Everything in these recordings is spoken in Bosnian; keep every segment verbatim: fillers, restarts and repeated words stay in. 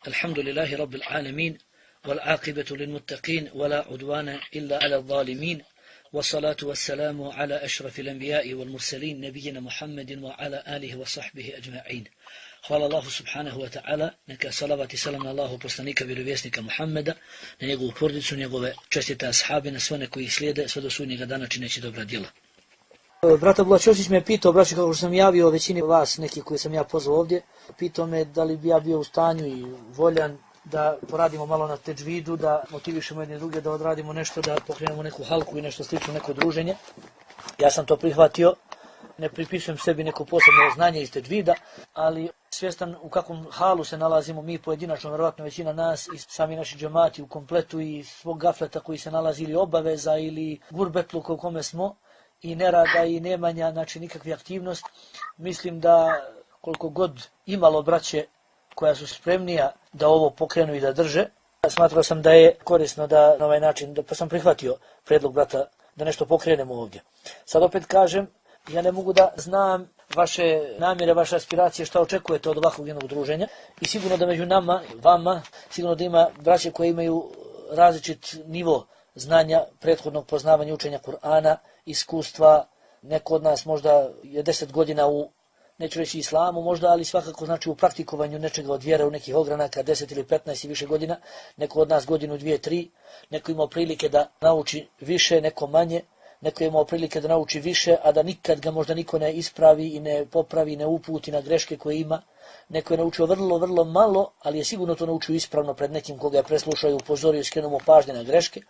الحمد لله رب العالمين والعاقبة للمتقين ولا عدوان إلا على الظالمين والصلاة والسلام على أشرف الأنبياء والمرسلين نبينا محمد وعلى آله وصحبه أجمعين. Hvala Allahu subhanahu wa ta'ala, neka salavat i salam na Allahu poslanika vjerovjesnika Muhammeda, na njegovu porodicu, njegove čestite ashabe, na sve one koji slijede sve do sudnjega dana čineći dobra djela. Brat Abdullah Ćosić me pitao, braći, kako sam javio većini vas, neki koji sam ja pozvao ovdje, pitao me da li bi ja bio u stanju i voljan da poradimo malo na tedžvidu, da motivišemo jedne druge, da odradimo nešto, da pokrenemo neku halku i nešto slično, neko druženje. Ja sam to prihvatio, ne pripisujem sebi neko posebno znanje iz tedžvida, ali svjestan u kakvom halu se nalazimo mi pojedinačno, vjerovatno većina nas i sami naši džemati u kompletu i svog gafleta koji se nalazi ili obaveza ili gurbetluka u kome smo, i nerada i nemanja, znači nikakve aktivnost. Mislim da koliko god imalo braće koja su spremnija da ovo pokrenu i da drže, smatrao sam da je korisno da na ovaj način, da, pa sam prihvatio predlog brata da nešto pokrenemo ovdje. Sad opet kažem, ja ne mogu da znam vaše namjere, vaše aspiracije, šta očekujete od ovakvog jednog druženja i sigurno da među nama, vama, sigurno da ima braće koje imaju različit nivo znanja, prethodnog poznavanja učenja Kur'ana, iskustva, neko od nas možda je deset godina u, neću reći islamu možda, ali svakako znači u praktikovanju nečega od vjere u nekih ogranaka, deset ili petnaest i više godina, neko od nas godinu, dvije, tri, neko imao prilike da nauči više, neko manje, neko je imao prilike da nauči više, a da nikad ga možda niko ne ispravi i ne popravi, ne uputi na greške koje ima. Neko je naučio vrlo, vrlo malo, ali je sigurno to naučio ispravno pred nekim koga je preslušao i upozorio i skrenuo mu pažnje na greške.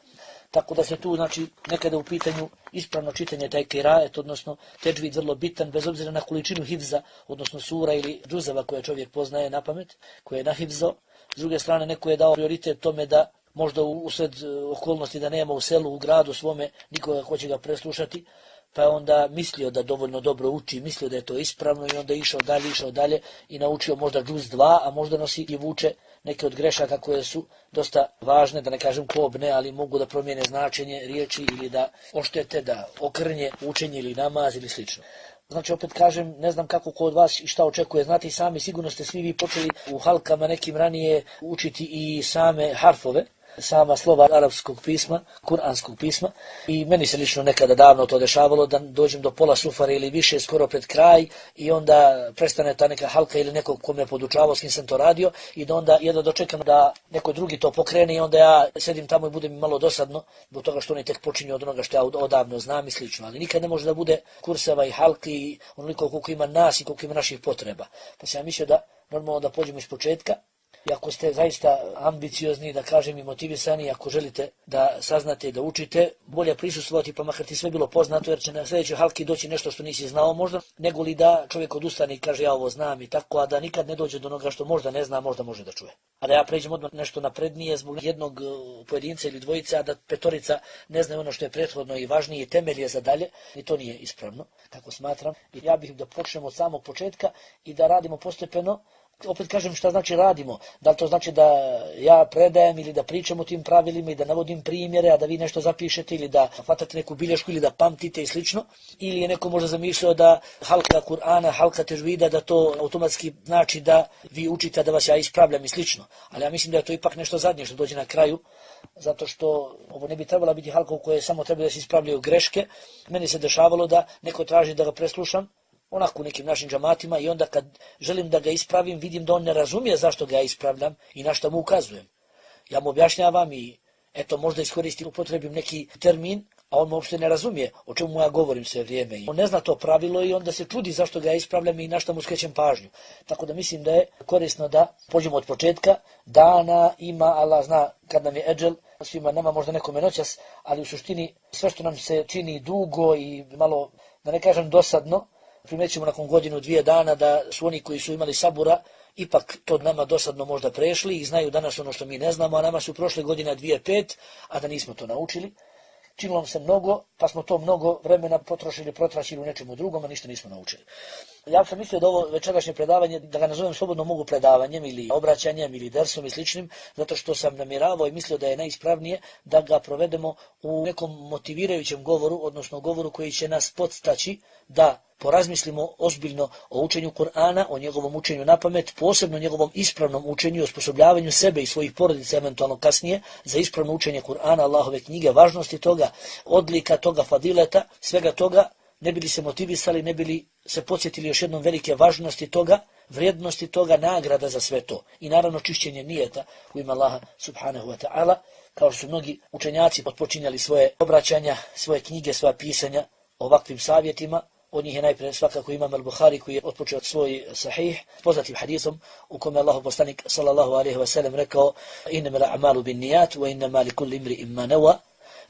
Tako da se tu, znači, nekada u pitanju ispravno čitanje taj kirajet, odnosno tedžvid vrlo bitan, bez obzira na količinu hifza, odnosno sura ili džuzava koje čovjek poznaje na pamet, koje je nahifzao. S druge strane, neko je dao prioritet tome da možda usred okolnosti da nema u selu, u gradu svome, nikoga ko će ga preslušati, pa je onda mislio da dovoljno dobro uči, mislio da je to ispravno i onda je išao dalje, išao dalje i naučio možda džuz dva, a možda nosi i vuče neke od grešaka koje su dosta važne, da ne kažem kobne, ali mogu da promijene značenje riječi ili da oštete, da okrnje učenje ili namaz ili slično. Znači, opet kažem, ne znam kako ko od vas i šta očekuje. Znate i sami, sigurno ste svi vi počeli u halkama nekim ranije učiti i same harfove, sama slova arapskog pisma, kuranskog pisma, i meni se lično nekada davno to dešavalo da dođem do pola sufare ili više skoro pred kraj i onda prestane ta neka halka ili nekog ko me podučavao s kim sam to radio i da onda jedno dočekam da neko drugi to pokrene i onda ja sedim tamo i bude mi malo dosadno zbog toga što oni tek počinju od onoga što ja odavno znam i slično, ali nikad ne može da bude kurseva i halki onoliko koliko ima nas i koliko ima naših potreba. Pa sam ja mislio da normalno da pođemo iz početka. I ako ste zaista ambiciozni, da kažem i motivisani, ako želite da saznate i da učite, bolje prisustvovati pa makar ti sve bilo poznato, jer će na sljedećoj halki doći nešto što nisi znao možda, nego li da čovjek odustane i kaže ja ovo znam i tako, a da nikad ne dođe do onoga što možda ne zna, možda može da čuje. A da ja pređem odmah nešto naprednije zbog jednog pojedinca ili dvojice, a da petorica ne znaju ono što je prethodno i važnije i temelje za dalje, i to nije ispravno, tako smatram. I ja bih da počnemo od samog početka i da radimo postepeno. Opet kažem šta znači radimo, da li to znači da ja predajem ili da pričam o tim pravilima i da navodim primjere, a da vi nešto zapišete ili da hvatate neku bilješku ili da pamtite i slično, ili je neko možda zamišljao da halka Kur'ana, halka tedžvida, da to automatski znači da vi učite, da vas ja ispravljam i slično, ali ja mislim da je to ipak nešto zadnje što dođe na kraju, zato što ovo ne bi trebala biti halka u kojoj samo treba da se ispravljaju greške. Meni se dešavalo da neko traži da ga preslušam, onako u nekim našim džamatima, i onda kad želim da ga ispravim, vidim da on ne razumije zašto ga ja ispravljam i na što mu ukazujem. Ja mu objašnjavam i eto možda iskoristim, upotrebim neki termin, a on uopšte ne razumije o čemu ja govorim sve vrijeme. On ne zna to pravilo i onda se čudi zašto ga ja ispravljam i na što mu skrećem pažnju. Tako da mislim da je korisno da pođemo od početka. Dana ima, Allah zna kad nam je eđel, svima nama možda nekome noćas, ali u suštini sve što nam se čini dugo i malo, da ne kažem dosadno, primećemo nakon godinu, dvije dana da su oni koji su imali sabura ipak to nama dosadno možda prešli i znaju danas ono što mi ne znamo, a nama su prošle godine dvije pet, a da nismo to naučili. Činilo nam se mnogo, pa smo to mnogo vremena potrošili, protračili u nečemu drugom, a ništa nismo naučili. Ja sam mislio da ovo večerašnje predavanje, da ga nazovem slobodno mogu predavanjem ili obraćanjem ili dersom i sličnim, zato što sam namjeravao i mislio da je najispravnije da ga provedemo u nekom motivirajućem govoru, odnosno govoru koji će nas podstaći da porazmislimo ozbiljno o učenju Kur'ana, o njegovom učenju na pamet, posebno njegovom ispravnom učenju i osposobljavanju sebe i svojih porodica eventualno kasnije za ispravno učenje Kur'ana, Allahove knjige, važnosti toga, odlika toga, fadileta, svega toga, ne bili se motivisali, ne bili se podsjetili još jednom velike važnosti toga, vrijednosti toga, nagrada za sve to. I naravno čišćenje nijeta u ime Allaha subhanahu wa ta'ala, kao što su mnogi učenjaci otpočinjali svoje obraćanja, svoje knjige, svoja pisanja ovakvim savjetima. Od njih je najprije svakako Imam al-Bukhari koji je otpočeo svoj sahih poznatim hadisom u kome Allahu poslanik sallallahu alejhi ve sellem rekao: "Innamal a'malu binniyat wa innama likulli imri'in ma nawa."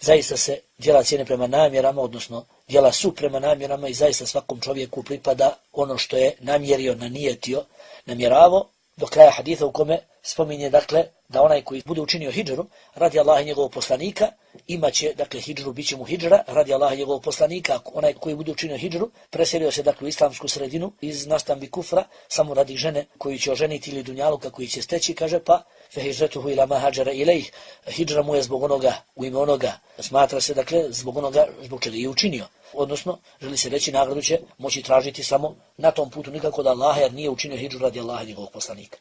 Zaista se djela cijene prema namjerama, odnosno djela su prema namjerama i zaista svakom čovjeku pripada ono što je namjerio, nanijetio, namjeravo, do kraja haditha u kome spominje dakle da onaj koji bude učinio hidžru radi Allaha i njegovog poslanika imaće dakle hidžru, biće mu hidžra radi Allaha i njegovog poslanika. Onaj koji bude učinio hidžru preselio se dakle u islamsku sredinu iz nastambi kufra samo radi žene koju će oženiti ili dunjaluka koji će steći, kaže pa fe hijratuhu ila ma hađara ilejh, hidžra mu je zbog onoga, u ime onoga, smatra se dakle zbog onoga zbog čega je učinio. Odnosno, želi se reći, nagradu će moći tražiti samo na tom putu, nikako da Allaha, jer nije učinio hidžru radi Allaha i njegovog poslanika.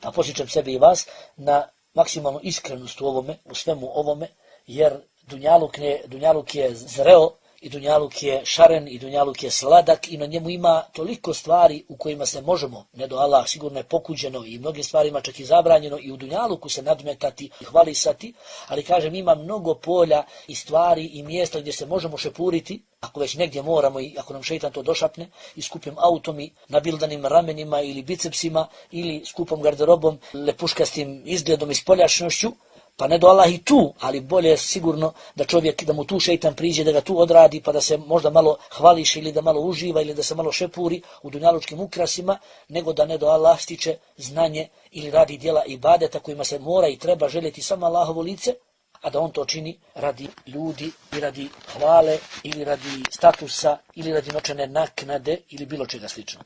Pa posjećam sebe i vas na maksimalnu iskrenost u ovome, u svemu ovome, jer dunjaluk, ne, dunjaluk je zreo i dunjaluk je šaren i dunjaluk je sladak i na njemu ima toliko stvari u kojima se možemo, ne do Allah, sigurno je pokuđeno i mnogim stvarima čak i zabranjeno i u dunjaluku se nadmetati i hvalisati, ali kažem ima mnogo polja i stvari i mjesta gdje se možemo šepuriti, ako već negdje moramo i ako nam šeitan to došapne i skupim autom i nabildanim ramenima ili bicepsima ili skupom garderobom, lepuškastim izgledom i spoljašnošću, pa ne do Allah i tu, ali bolje je sigurno da čovjek, da mu tu šeitan priđe, da ga tu odradi, pa da se možda malo hvališ ili da malo uživa ili da se malo šepuri u dunjalučkim ukrasima, nego da ne do Allah stiče znanje ili radi djela ibadeta kojima se mora i treba željeti samo Allahovo lice, a da on to čini radi ljudi i radi hvale ili radi statusa ili radi novčane naknade ili bilo čega slično.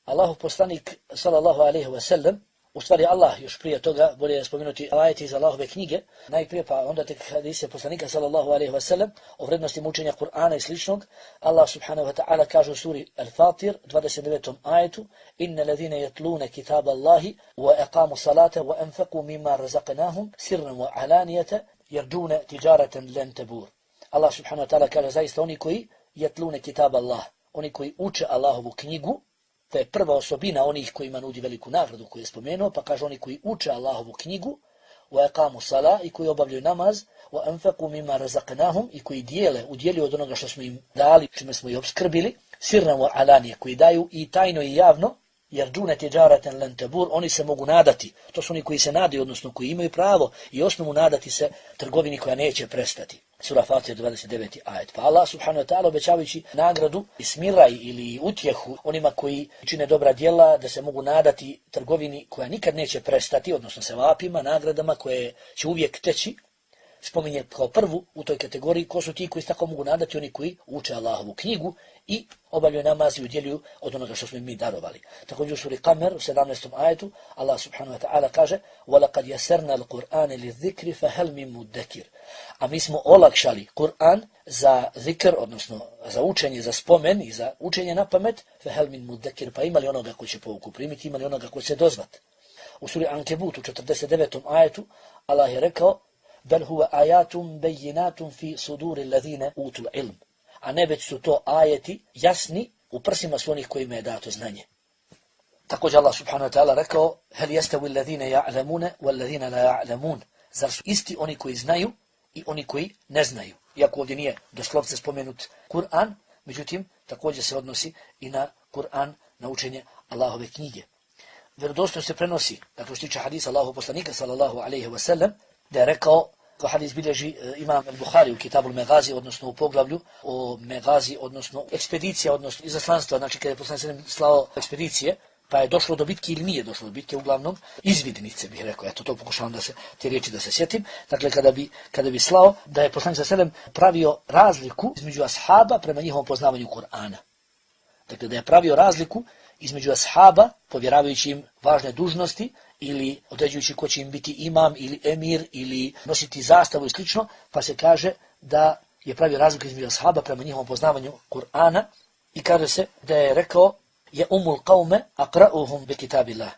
Allahov poslanik sallallahu alejhi ve sellem, u stvari Allah još prije toga, bolje je spomenuti ajeti iz Allahove knjige, najprije pa onda tek hadise poslanika sallallahu alejhi ve sellem o vrednosti učenja Kur'ana i sličnog. Allah subhanahu wa ta'ala kaže u suri Al-Fatir dvadeset devetom ajetu: "Innal ladhina yatluna kitaba Allahi wa aqamu salata wa anfaqu mimma razaqnahum sirran wa alaniyatan yarjuna tijaratan lan tabur." Allah subhanahu wa ta'ala kaže zaista oni koji yatluna kitaba Allah, oni koji uče Allahovu knjigu. To je prva osobina onih kojima nudi veliku nagradu koju je spomenuo, pa kaže oni koji uče Allahovu knjigu, wa aqamu sala, i koji obavljaju namaz, wa anfaqu mimma razaqnahum, i koji dijele, udjeljuju od onoga što smo im dali, čime smo ih obskrbili, sirran wa alanije, koji daju i tajno i javno, jer džune tijaratan lan tabur, oni se mogu nadati. To su oni koji se nadaju, odnosno koji imaju pravo i osnovu nadati se trgovini koja neće prestati. Sura Fatir dvadeset deveti ajet. Pa Allah subhanahu wa ta'ala obećavajući nagradu i smiraj ili utjehu onima koji čine dobra djela, da se mogu nadati trgovini koja nikad neće prestati, odnosno sevapima, nagradama koje će uvijek teći, spominje kao prvu u toj kategoriji ko su ti koji se tako mogu nadati, oni koji uče Allahovu knjigu i obavljaju namaz i udjeljuju od onoga što smo im mi darovali. Također u suri Kamer u sedamnaestom ajetu Allah subhanahu wa ta'ala kaže: "Walaqad yassarna al-Qur'ana lidh-dhikri fahal min muddakir." A mi smo olakšali Kur'an za zikr, odnosno za učenje, za spomen i za učenje na pamet, fahal min muddakir, pa imali onoga koji će pouku primiti, imali onoga koji će dozvat. U suri Ankebut u četrdeset devetom ajetu Allah je rekao: "Bel huwa ayatun bayyinatun fi suduri alladhina utul ilm." A ne već su to ajeti jasni u prsima su onih kojima je dato znanje. Također Allah subhanahu wa ta'ala rekao: "Hal yastawi alladhina ya'lamuna wal ladhina la ya'lamun." Zar su isti oni koji znaju i oni koji ne znaju? Iako ovdje nije doslovce spomenut Kur'an, međutim također se odnosi i na Kur'an, na učenje Allahove knjige. Vjerodostojno se prenosi, dakle što tiče hadisa Allahov poslanika sallallahu alejhi ve sellem, da je rekao, ko hadis bilježi Imam al-Bukhari u Kitabu al-Megazi, odnosno u poglavlju o Megazi, odnosno ekspedicija, odnosno izaslanstva, znači kada je poslanik slao ekspedicije, pa je došlo do bitke ili nije došlo do bitke, uglavnom izvidnice bih rekao, eto to pokušavam da se, te riječi da se sjetim, dakle kada bi, kada bi slao, da je poslanik sallallahu alejhi ve sellem pravio razliku između ashaba prema njihovom poznavanju Kur'ana. Dakle da je pravio razliku između ashaba, povjeravajući im važne dužnosti ili određujući ko će im biti imam ili emir ili nositi zastavu i slično, pa se kaže da je pravio razliku između ashaba prema njihovom poznavanju Kur'ana I kaže se da je rekao je umul qaume aqra'uhum bi kitabillah.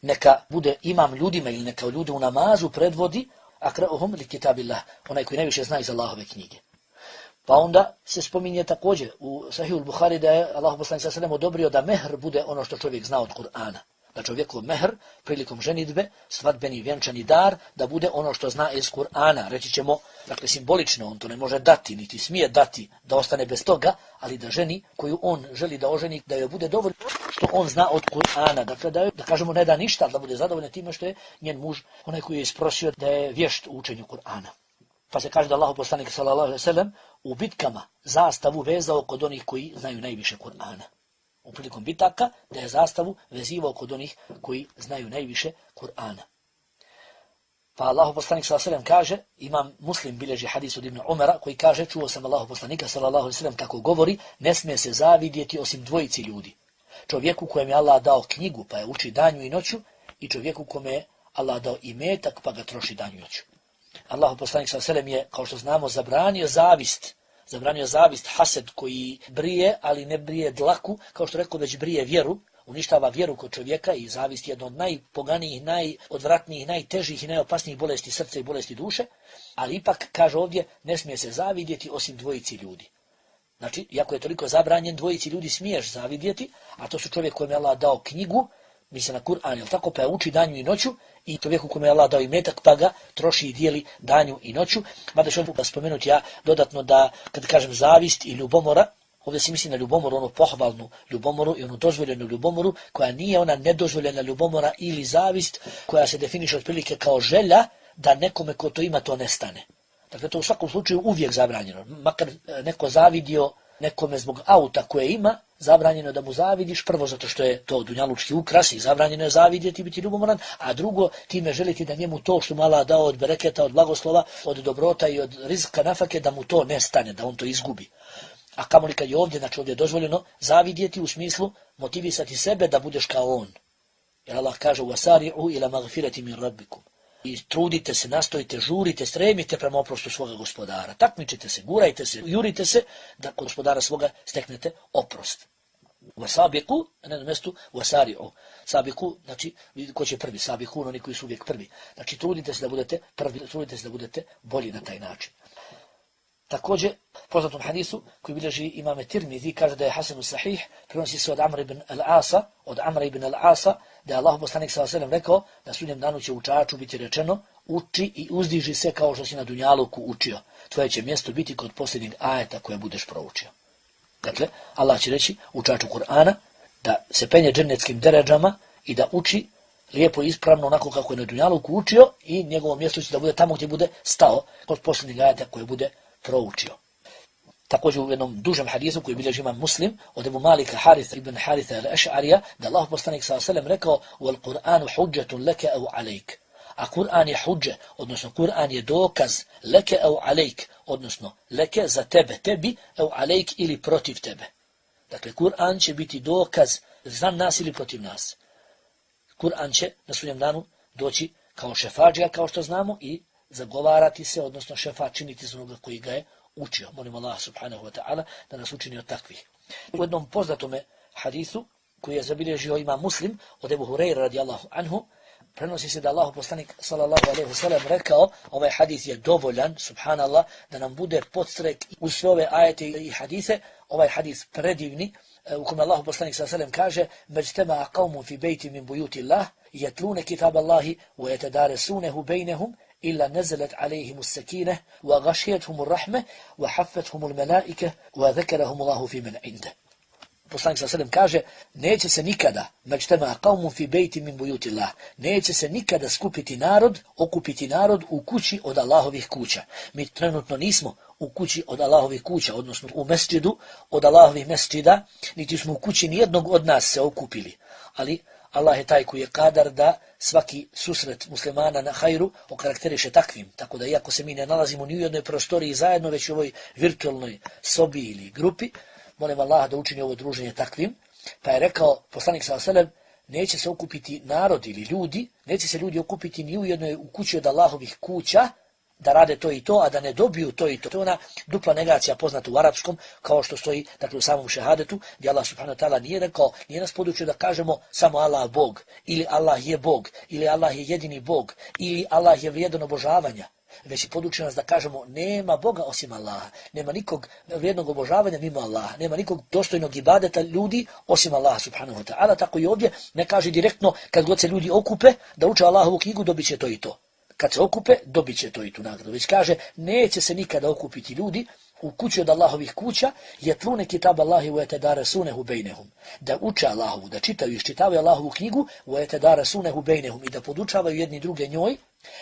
Neka bude imam ljudima ili neka ljude u namazu predvodi aqra'uhum li kitabillah, onaj koji najviše zna iz Allahove knjige. Pa onda se spominje također u Sahihul Buhari da je Allah poslanik sallallahu alejhi ve sellem odobrio da mehr bude ono što čovjek zna od Kur'ana. Da čovjekov mehr prilikom ženidbe, svadbeni vjenčani dar, da bude ono što zna iz Kur'ana. Reći ćemo, dakle simbolično, on to ne može dati, niti smije dati da ostane bez toga, ali da ženi koju on želi da oženi, da joj bude dovoljno što on zna od Kur'ana. Dakle, da, da kažemo ne da ništa, da bude zadovoljna time što je njen muž, onaj koji je isprosio da je vješt u učenju Kur'ana. Pa se kaže da Allah poslanik sallallahu alejhi ve sellem u bitkama zastavu vezao kod onih koji znaju najviše Kur'ana. U prilikom bitaka da je zastavu vezivao kod onih koji znaju najviše Kur'ana. Pa Allah poslanik sallallahu alejhi ve sellem kaže, imam Muslim bilježi hadis od Ibn Umara koji kaže, čuo sam Allah poslanika sallallahu alejhi ve sellem kako govori, ne smije se zavidjeti osim dvojici ljudi. Čovjeku kojem je Allah dao knjigu pa je uči danju i noću i čovjeku kome je Allah dao imetak pa ga troši danju i noću. Allah poslanik sallallahu alejhi ve sellem je, kao što znamo, zabranio zavist. Zabranio zavist, hased koji brije, ali ne brije dlaku, kao što rekao, već brije vjeru, uništava vjeru kod čovjeka i zavist je jedna od najpoganijih, najodvratnijih, najtežih i najopasnijih bolesti srca i bolesti duše, ali ipak, kaže ovdje, ne smije se zavidjeti osim dvojici ljudi. Znači, iako je toliko zabranjen, dvojici ljudi smiješ zavidjeti, a to su čovjek kojem je Allah dao knjigu, misli na Kur'an, jel tako, pa je uči danju i noću, i čovjeku kome je Allah dao imetak, pa ga troši i dijeli danju i noću. Mada ću vam spomenuti ja dodatno da, kad kažem zavist i ljubomora, ovdje se misli na ljubomoru, onu pohvalnu ljubomoru i onu dozvoljenu ljubomoru, koja nije ona nedozvoljena ljubomora ili zavist, koja se definiše otprilike kao želja da nekome ko to ima to nestane. Dakle, to u svakom slučaju uvijek zabranjeno. Makar neko zavidio nekome zbog auta koje ima, zabranjeno da mu zavidiš, prvo zato što je to dunjalučki ukras i zabranjeno je zavidjeti, biti ljubomoran, a drugo, time želiti da njemu to što mu Allah dao od bereketa, od blagoslova, od dobrota i od rizka nafake, da mu to nestane, da on to izgubi. A kamoli kad je ovdje, znači ovdje je dozvoljeno zavidjeti u smislu motivisati sebe da budeš kao on. Jer Allah kaže wasari'u ila magfirati min rabbikum. I trudite se, nastojite, žurite, stremite prema oprostu svoga gospodara. Takmičite se, gurajte se, jurite se da kod gospodara svoga steknete oprost. Wasabiqu, na jednom mjestu wasari'u. Sabiqu, znači ko će prvi, sabiqu, oni koji su uvijek prvi. Znači trudite se da budete prvi, trudite se da budete bolji na taj način. Također, poznatom hadisu koji bilježi imame Tirmizi, kaže da je Hasan sahih, prenosi se od Amra ibn al-Asa, od Amra ibn al-Asa, da je Allah poslanik sallallahu alejhi ve sellem rekao da sudnjem danu će učaču biti rečeno, uči i uzdiži se kao što si na dunjaluku učio. Tvoje će mjesto biti kod posljednjeg ajeta koje budeš proučio. Dakle, Allah će reći učaču Kur'ana da se penje džennetskim deređama i da uči lijepo i ispravno onako kako je na dunjaluku učio i njegovo mjesto će da bude tamo gdje bude stao kod posljednjeg ajeta koje bude proučio. Također u jednom dužem hadisu koji bilježi imam Muslim od Ebu Malika Haritha ibn Haritha al-Ash'arija da Allah poslanik sallallahu alejhi ve sellem rekao wal Qur'anu hujjatun laka aw alayk. A Kur'an je hudže, odnosno Kur'an je dokaz leke aw alayk, odnosno leke za tebe, tebi aw alayk ili protiv tebe. Dakle Kur'an će biti dokaz za nas ili protiv nas. Kur'an će na sudnjem danu doći kao šefadžija, kao što znamo, i zagovarati se, odnosno šefa činiti za onoga koji ga je učio. Molim Allah subhanahu wa ta'ala da nas učini od takvih. U jednom poznatome hadisu koji je zabilježio ima Muslim od Ebu Hureyra radijallahu anhu, prenosi se da Allah poslanik sallallahu alejhi ve sellem rekao, ovaj hadis je dovoljan, subhanallah, da nam bude podstrek uz sve ove ajete i hadise, ovaj hadis predivni, u kome Allah poslanik sallallahu alejhi ve sellem kaže međtema qaumun fi bejti min bujuti Allah, yatluna kitab Allahi wa yatadarasunahu bainahum إلا نزلت عليهم السكينة وغشيتهم الرحمة وحفتهم الملائكة وذكرهم الله في من عنده. Poslanik sallallahu alejhi ve sellem kaže, neće se nikada, međtema qaumun fi bejti min bujuti Allah, neće se nikada skupiti narod, okupiti narod u kući od Allahovih kuća. Mi trenutno nismo u kući od Allahovih kuća, odnosno u mesdžidu od Allahovih mesdžida, niti smo u kući nijednog od nas se okupili. Ali Allah je taj koji je kadar da svaki susret muslimana na hajru okarakteriše takvim. Tako da iako se mi ne nalazimo ni u jednoj prostoriji zajedno, već u ovoj virtualnoj sobi ili grupi, molim Allah da učini ovo druženje takvim. Pa je rekao poslanik sallallahu alejhi ve sellem, neće se okupiti narod ili ljudi, neće se ljudi okupiti ni u jednoj u kući od Allahovih kuća, da rade to i to, a da ne dobiju to i to. To je ona dupla negacija poznata u arapskom, kao što stoji dakle, u samom šehadetu, gdje Allah subhanahu wa ta'ala nije rekao, nije nas podučio da kažemo samo Allah Bog, ili Allah je Bog, ili Allah je jedini Bog, ili Allah je vrijedan obožavanja. Već je podučio nas da kažemo nema Boga osim Allaha, nema nikog vrijednog obožavanja mimo Allaha, nema nikog dostojnog ibadeta ljudi osim Allaha subhanahu wa ta'ala. Tako i ovdje ne kaže direktno kad god se ljudi okupe da uče Allahovu knjigu dobit će to i to. Kad se okupe dobit će to i tu nagradu. Već kaže neće se nikada okupiti ljudi u kući od Allahovih kuća, jetlune kitab Allahi wa yatadarasunahu bejnehum. Da uče Allahovu, da čitaju i iščitavaju Allahovu knjigu wa yatadarasunahu bejnehum i da podučavaju jedni druge njoj,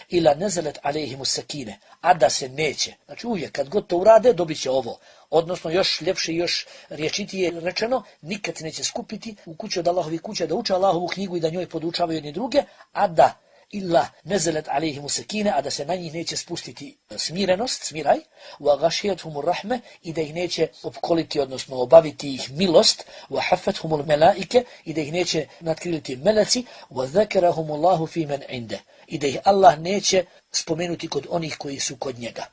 ila nezelet alejhimu sakine, a da se neće. Znači uvijek kad god to urade dobit će ovo. Odnosno još ljepše i još riječitije rečeno, nikad se neće skupiti u kući od Allahovih kuća da uče Allahovu knjigu i da njoj podučavaju jedni druge, a da illa nezelet alejhimu sakine, a da se na njih neće spustiti smirenost, smiraj, wa ghashiyatuhumur rahme, i da ih neće opkoliti, odnosno obaviti ih milost, wa hafathumul melaike, i da ih neće natkriliti meleci, wa zakarahumullahu fi man inde, i da ih Allah neće spomenuti kod onih koji su kod njega.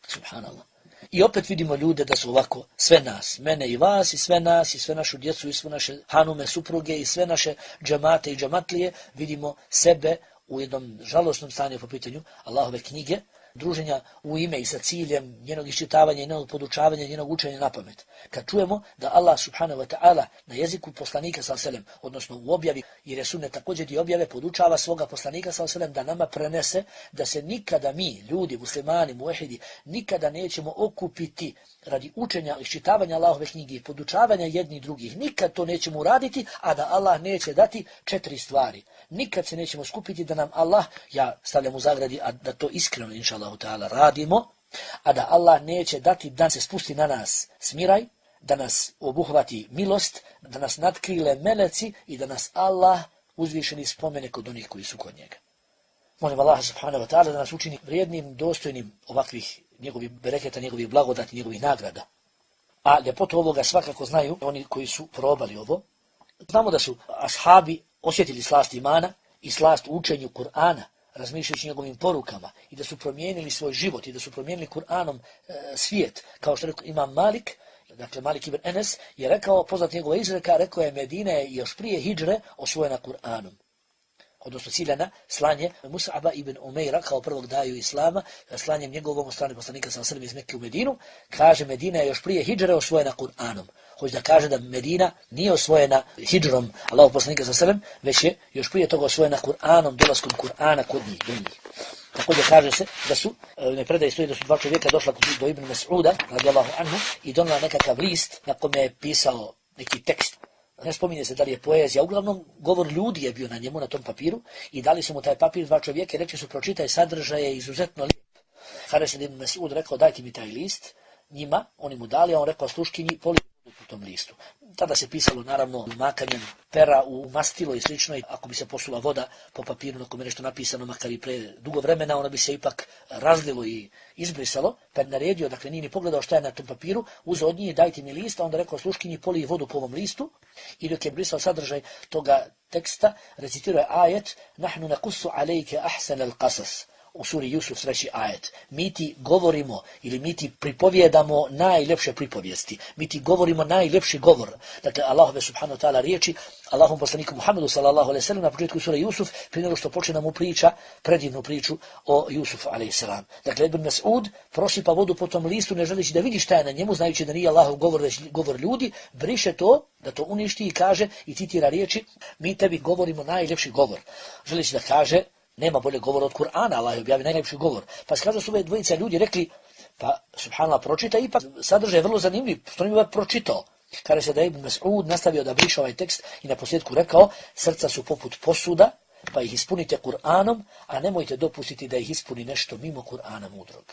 Subhanallah. I opet vidimo ljude da su ovako, sve nas, mene i vas, i sve nas, i sve našu djecu, i sve naše hanume, supruge, i sve naše džamate i džamatlije, vidimo sebe u jednom žalosnom stanju po pitanju Allahove knjige, druženja u ime i sa ciljem njenog iščitavanja i njenog podučavanja, njenog učenja na pamet. Kad čujemo da Allah subhanahu wa ta'ala na jeziku poslanika sallallahu alejhi ve sellem, odnosno u objavi, jer je sunnet također i objave, podučava svoga poslanika sallallahu alejhi ve sellem da nama prenese da se nikada mi, ljudi, muslimani, muahidi, nikada nećemo okupiti radi učenja i iščitavanja Allahove knjige i podučavanja jednih drugih. Nikad to nećemo uraditi, a da Allah neće dati četiri stvari. Nikad se nećemo skupiti da nam Allah, ja stavljam u zagradi, a da to iskreno inša Allahu ta'ala radimo, a da Allah neće dati da se spusti na nas smiraj, da nas obuhvati milost, da nas natkrile meleci i da nas Allah uzvišeni spomene kod onih koji su kod njega. Molim Allah subhanahu wa ta'ala da nas učini vrijednim, dostojnim ovakvih njegovih bereketa, njegovih blagodati, njegovih nagrada. A ljepotu ovoga svakako znaju oni koji su probali ovo. Znamo da su ashabi osjetili slast imana i slast u učenju Kur'ana, razmišljajući njegovim porukama, i da su promijenili svoj život i da su promijenili Kur'anom e, svijet. Kao što rekao Imam Malik, dakle Malik ibn Enes, je rekao, poznat njegova izreka, rekao je Medina je još prije hidžre osvojena Kur'anom. Odnosno ciljana slanje Mus'aba ibn Umeira kao prvog daju Islama, slanjem njegovom od strane poslanika sallallahu alejhi ve sellem iz Mekke u Medinu, kaže Medina je još prije hidžre osvojena Kur'anom. Hoće da kaže da Medina nije osvojena hidžrom Allahov poslanika sallallahu alejhi ve sellem, već je još prije toga osvojena Kur'anom, dolaskom Kur'ana kod njih, do njih. Također kaže se da su, ne predaje stoji da su dva čovjeka došla do Ibn Mas'uda, radijallahu anhu, i donela nekakav list na kome je pisao neki tekst. Ne spominje se da li je poezija, uglavnom govor ljudi je bio na njemu, na tom papiru, i dali su mu taj papir dva čovjeka i rekli su pročitaj sadržaje izuzetno lijep. Kada se Ibn Mas'ud rekao dajte mi taj list, njima, oni mu dali, a on rekao sluškinji poli po tom listu. Tada se pisalo naravno makanjem pera u mastilo i slično, i ako bi se posula voda po papiru na kome je nešto napisano, makar i pre dugo vremena, ona bi se ipak razlilo i izbrisalo, pa je naredio, dakle nije ni pogledao šta je na tom papiru, uzeo od njih dajte mi list, a onda rekao sluškinji poli vodu po ovom listu, i dok je brisao sadržaj toga teksta, recitirao je ajet nahnu nakussu alejke ahsanal qasas. U suri Jusuf treći ajet. Mi ti govorimo ili mi ti pripovjedamo najljepše pripovijesti. Mi ti govorimo najljepši govor. Dakle, Allahove subhanahu wa ta'ala riječi, Allahom poslaniku Muhammedu sallallahu alejhi ve sellem na početku sure Jusuf, prije nego što počne nam priča, predivnu priču o Jusufu alejhi selam. Dakle, Ibn Mas'ud prosipa vodu po tom listu, ne želeći da vidi šta je na njemu, znajući da nije Allahov govor, već govor ljudi, briše to, da to uništi i kaže i citira riječi, mi tebi govorimo najljepši govor. Želeći da kaže, nema bolje govora od Kur'ana, Allah je objavio najljepši govor. Pa kada su ove dvojica ljudi rekli, pa subhanallah pročita, ipak sadržaj je vrlo zanimljiv, što mi je pročitao. Kada se da Ibn Mas'ud nastavio da briše ovaj tekst i na posljedku rekao, srca su poput posuda, pa ih ispunite Kur'anom, a nemojte dopustiti da ih ispuni nešto mimo Kur'ana mudrog.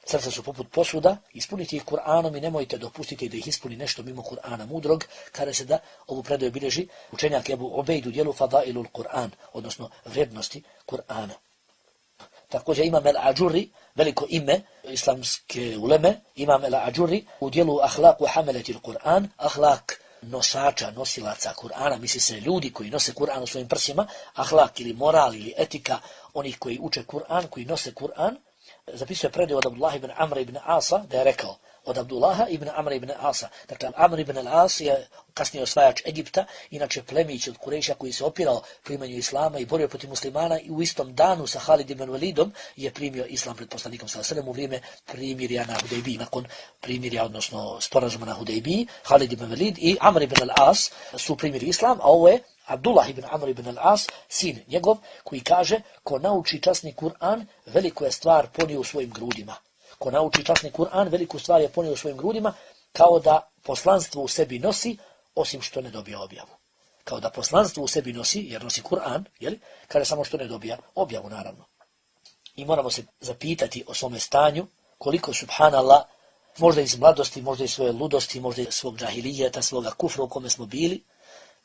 Srca su poput posuda, ispunite ih Kur'anom i nemojte dopustiti da ih ispuni nešto mimo Kur'ana mudrog, kada se da ovu predaju bilježi učenjak Ebu Ubejd u dijelu Fadailul Kur'an, odnosno vrijednosti Kur'ana. Također Imam el-Ađuri, veliko ime islamske uleme, Imam el-Ađuri u dijelu Ahlaku Hameletil Kur'an, ahlak nosača, nosilaca Kur'ana, misli se ljudi koji nose Kur'an u svojim prsima, ahlak ili moral ili etika onih koji uče Kur'an, koji nose Kur'an, zapisuje predaju od Abdullah ibn Amra ibn Asa da je rekao, od Abdullaha ibn Amra ibn Asa. Dakle, Amr ibn al-As je kasnije osvajač Egipta, inače plemić od Kurejša koji se opirao primanju islama i borio protiv muslimana i u istom danu sa Halid ibn Walidom je primio islam pred poslanikom sallallahu alejhi ve sellem u vrijeme primirja na Hudejbiji. Nakon primirja, odnosno sporazuma na Hudejbiji, Halid ibn Walid i Amr ibn al-As su primili islam, a ovo je Abdullah ibn Amr ibn al-As, sin njegov, koji kaže, ko nauči časni Kur'an, veliku je stvar ponio u svojim grudima. Ko nauči časni Kur'an, veliku stvar je ponio u svojim grudima, kao da poslanstvo u sebi nosi, osim što ne dobija objavu. Kao da poslanstvo u sebi nosi, jer nosi Kur'an, jel? Kaže samo što ne dobija objavu, naravno. I moramo se zapitati o svome stanju, koliko, subhanallah, možda iz mladosti, možda iz svoje ludosti, možda iz svog džahilijeta, svoga kufra u kome smo bili,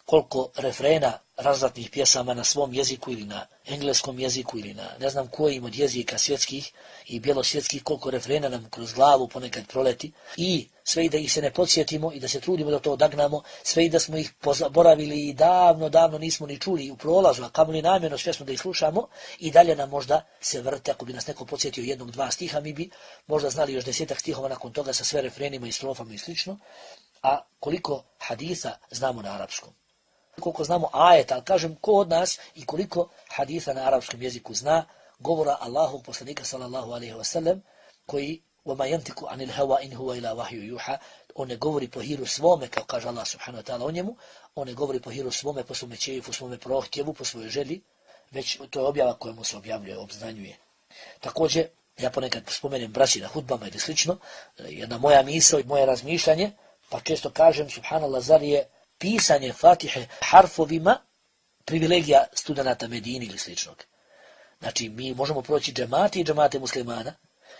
koliko refrena razvratnih pjesama na svom jeziku ili na engleskom jeziku ili na ne znam kojim od jezika svjetskih i bjelosvjetskih, koliko refrena nam kroz glavu ponekad proleti i sve i da ih se ne podsjetimo i da se trudimo da to odagnamo, sve i da smo ih pozaboravili i davno, davno nismo ni čuli u prolazu, a kamoli namjerno svjesno da ih slušamo i dalje nam možda se vrte, ako bi nas neko podsjetio jednog, dva stiha, mi bi možda znali još desetak stihova nakon toga sa sve refrenima i strofama i slično, a koliko hadisa znamo na arapskom. Koliko znamo ajeta, ali kažem ko od nas i koliko hadisa na arapskom jeziku zna, govora Allahog poslanika sallallahu alejhi ve sellem, koji وَمَا يَنْتِكُ عَنِ الْهَوَا إِنْ هُوَ إِلَّا وَحْيٌ يُوحَى, on ne govori po hiru svome, kao kaže Allah subhanahu wa ta'ala o njemu, on ne govori po hiru svome, po svome čejifu, svome prohtjevu, po svojoj želji, već to je objava kojemu se objavljuje, obznanjuje. Također, ja ponekad spomenem braći na hudbama ili slično, jedna moja misao i moje razmišljanje, pa često kažem, subhanallah, zar je pisanje Fatihe harfovima privilegija studenata Medine ili sličnog. Znači, mi možemo proći džemati i džemate muslimana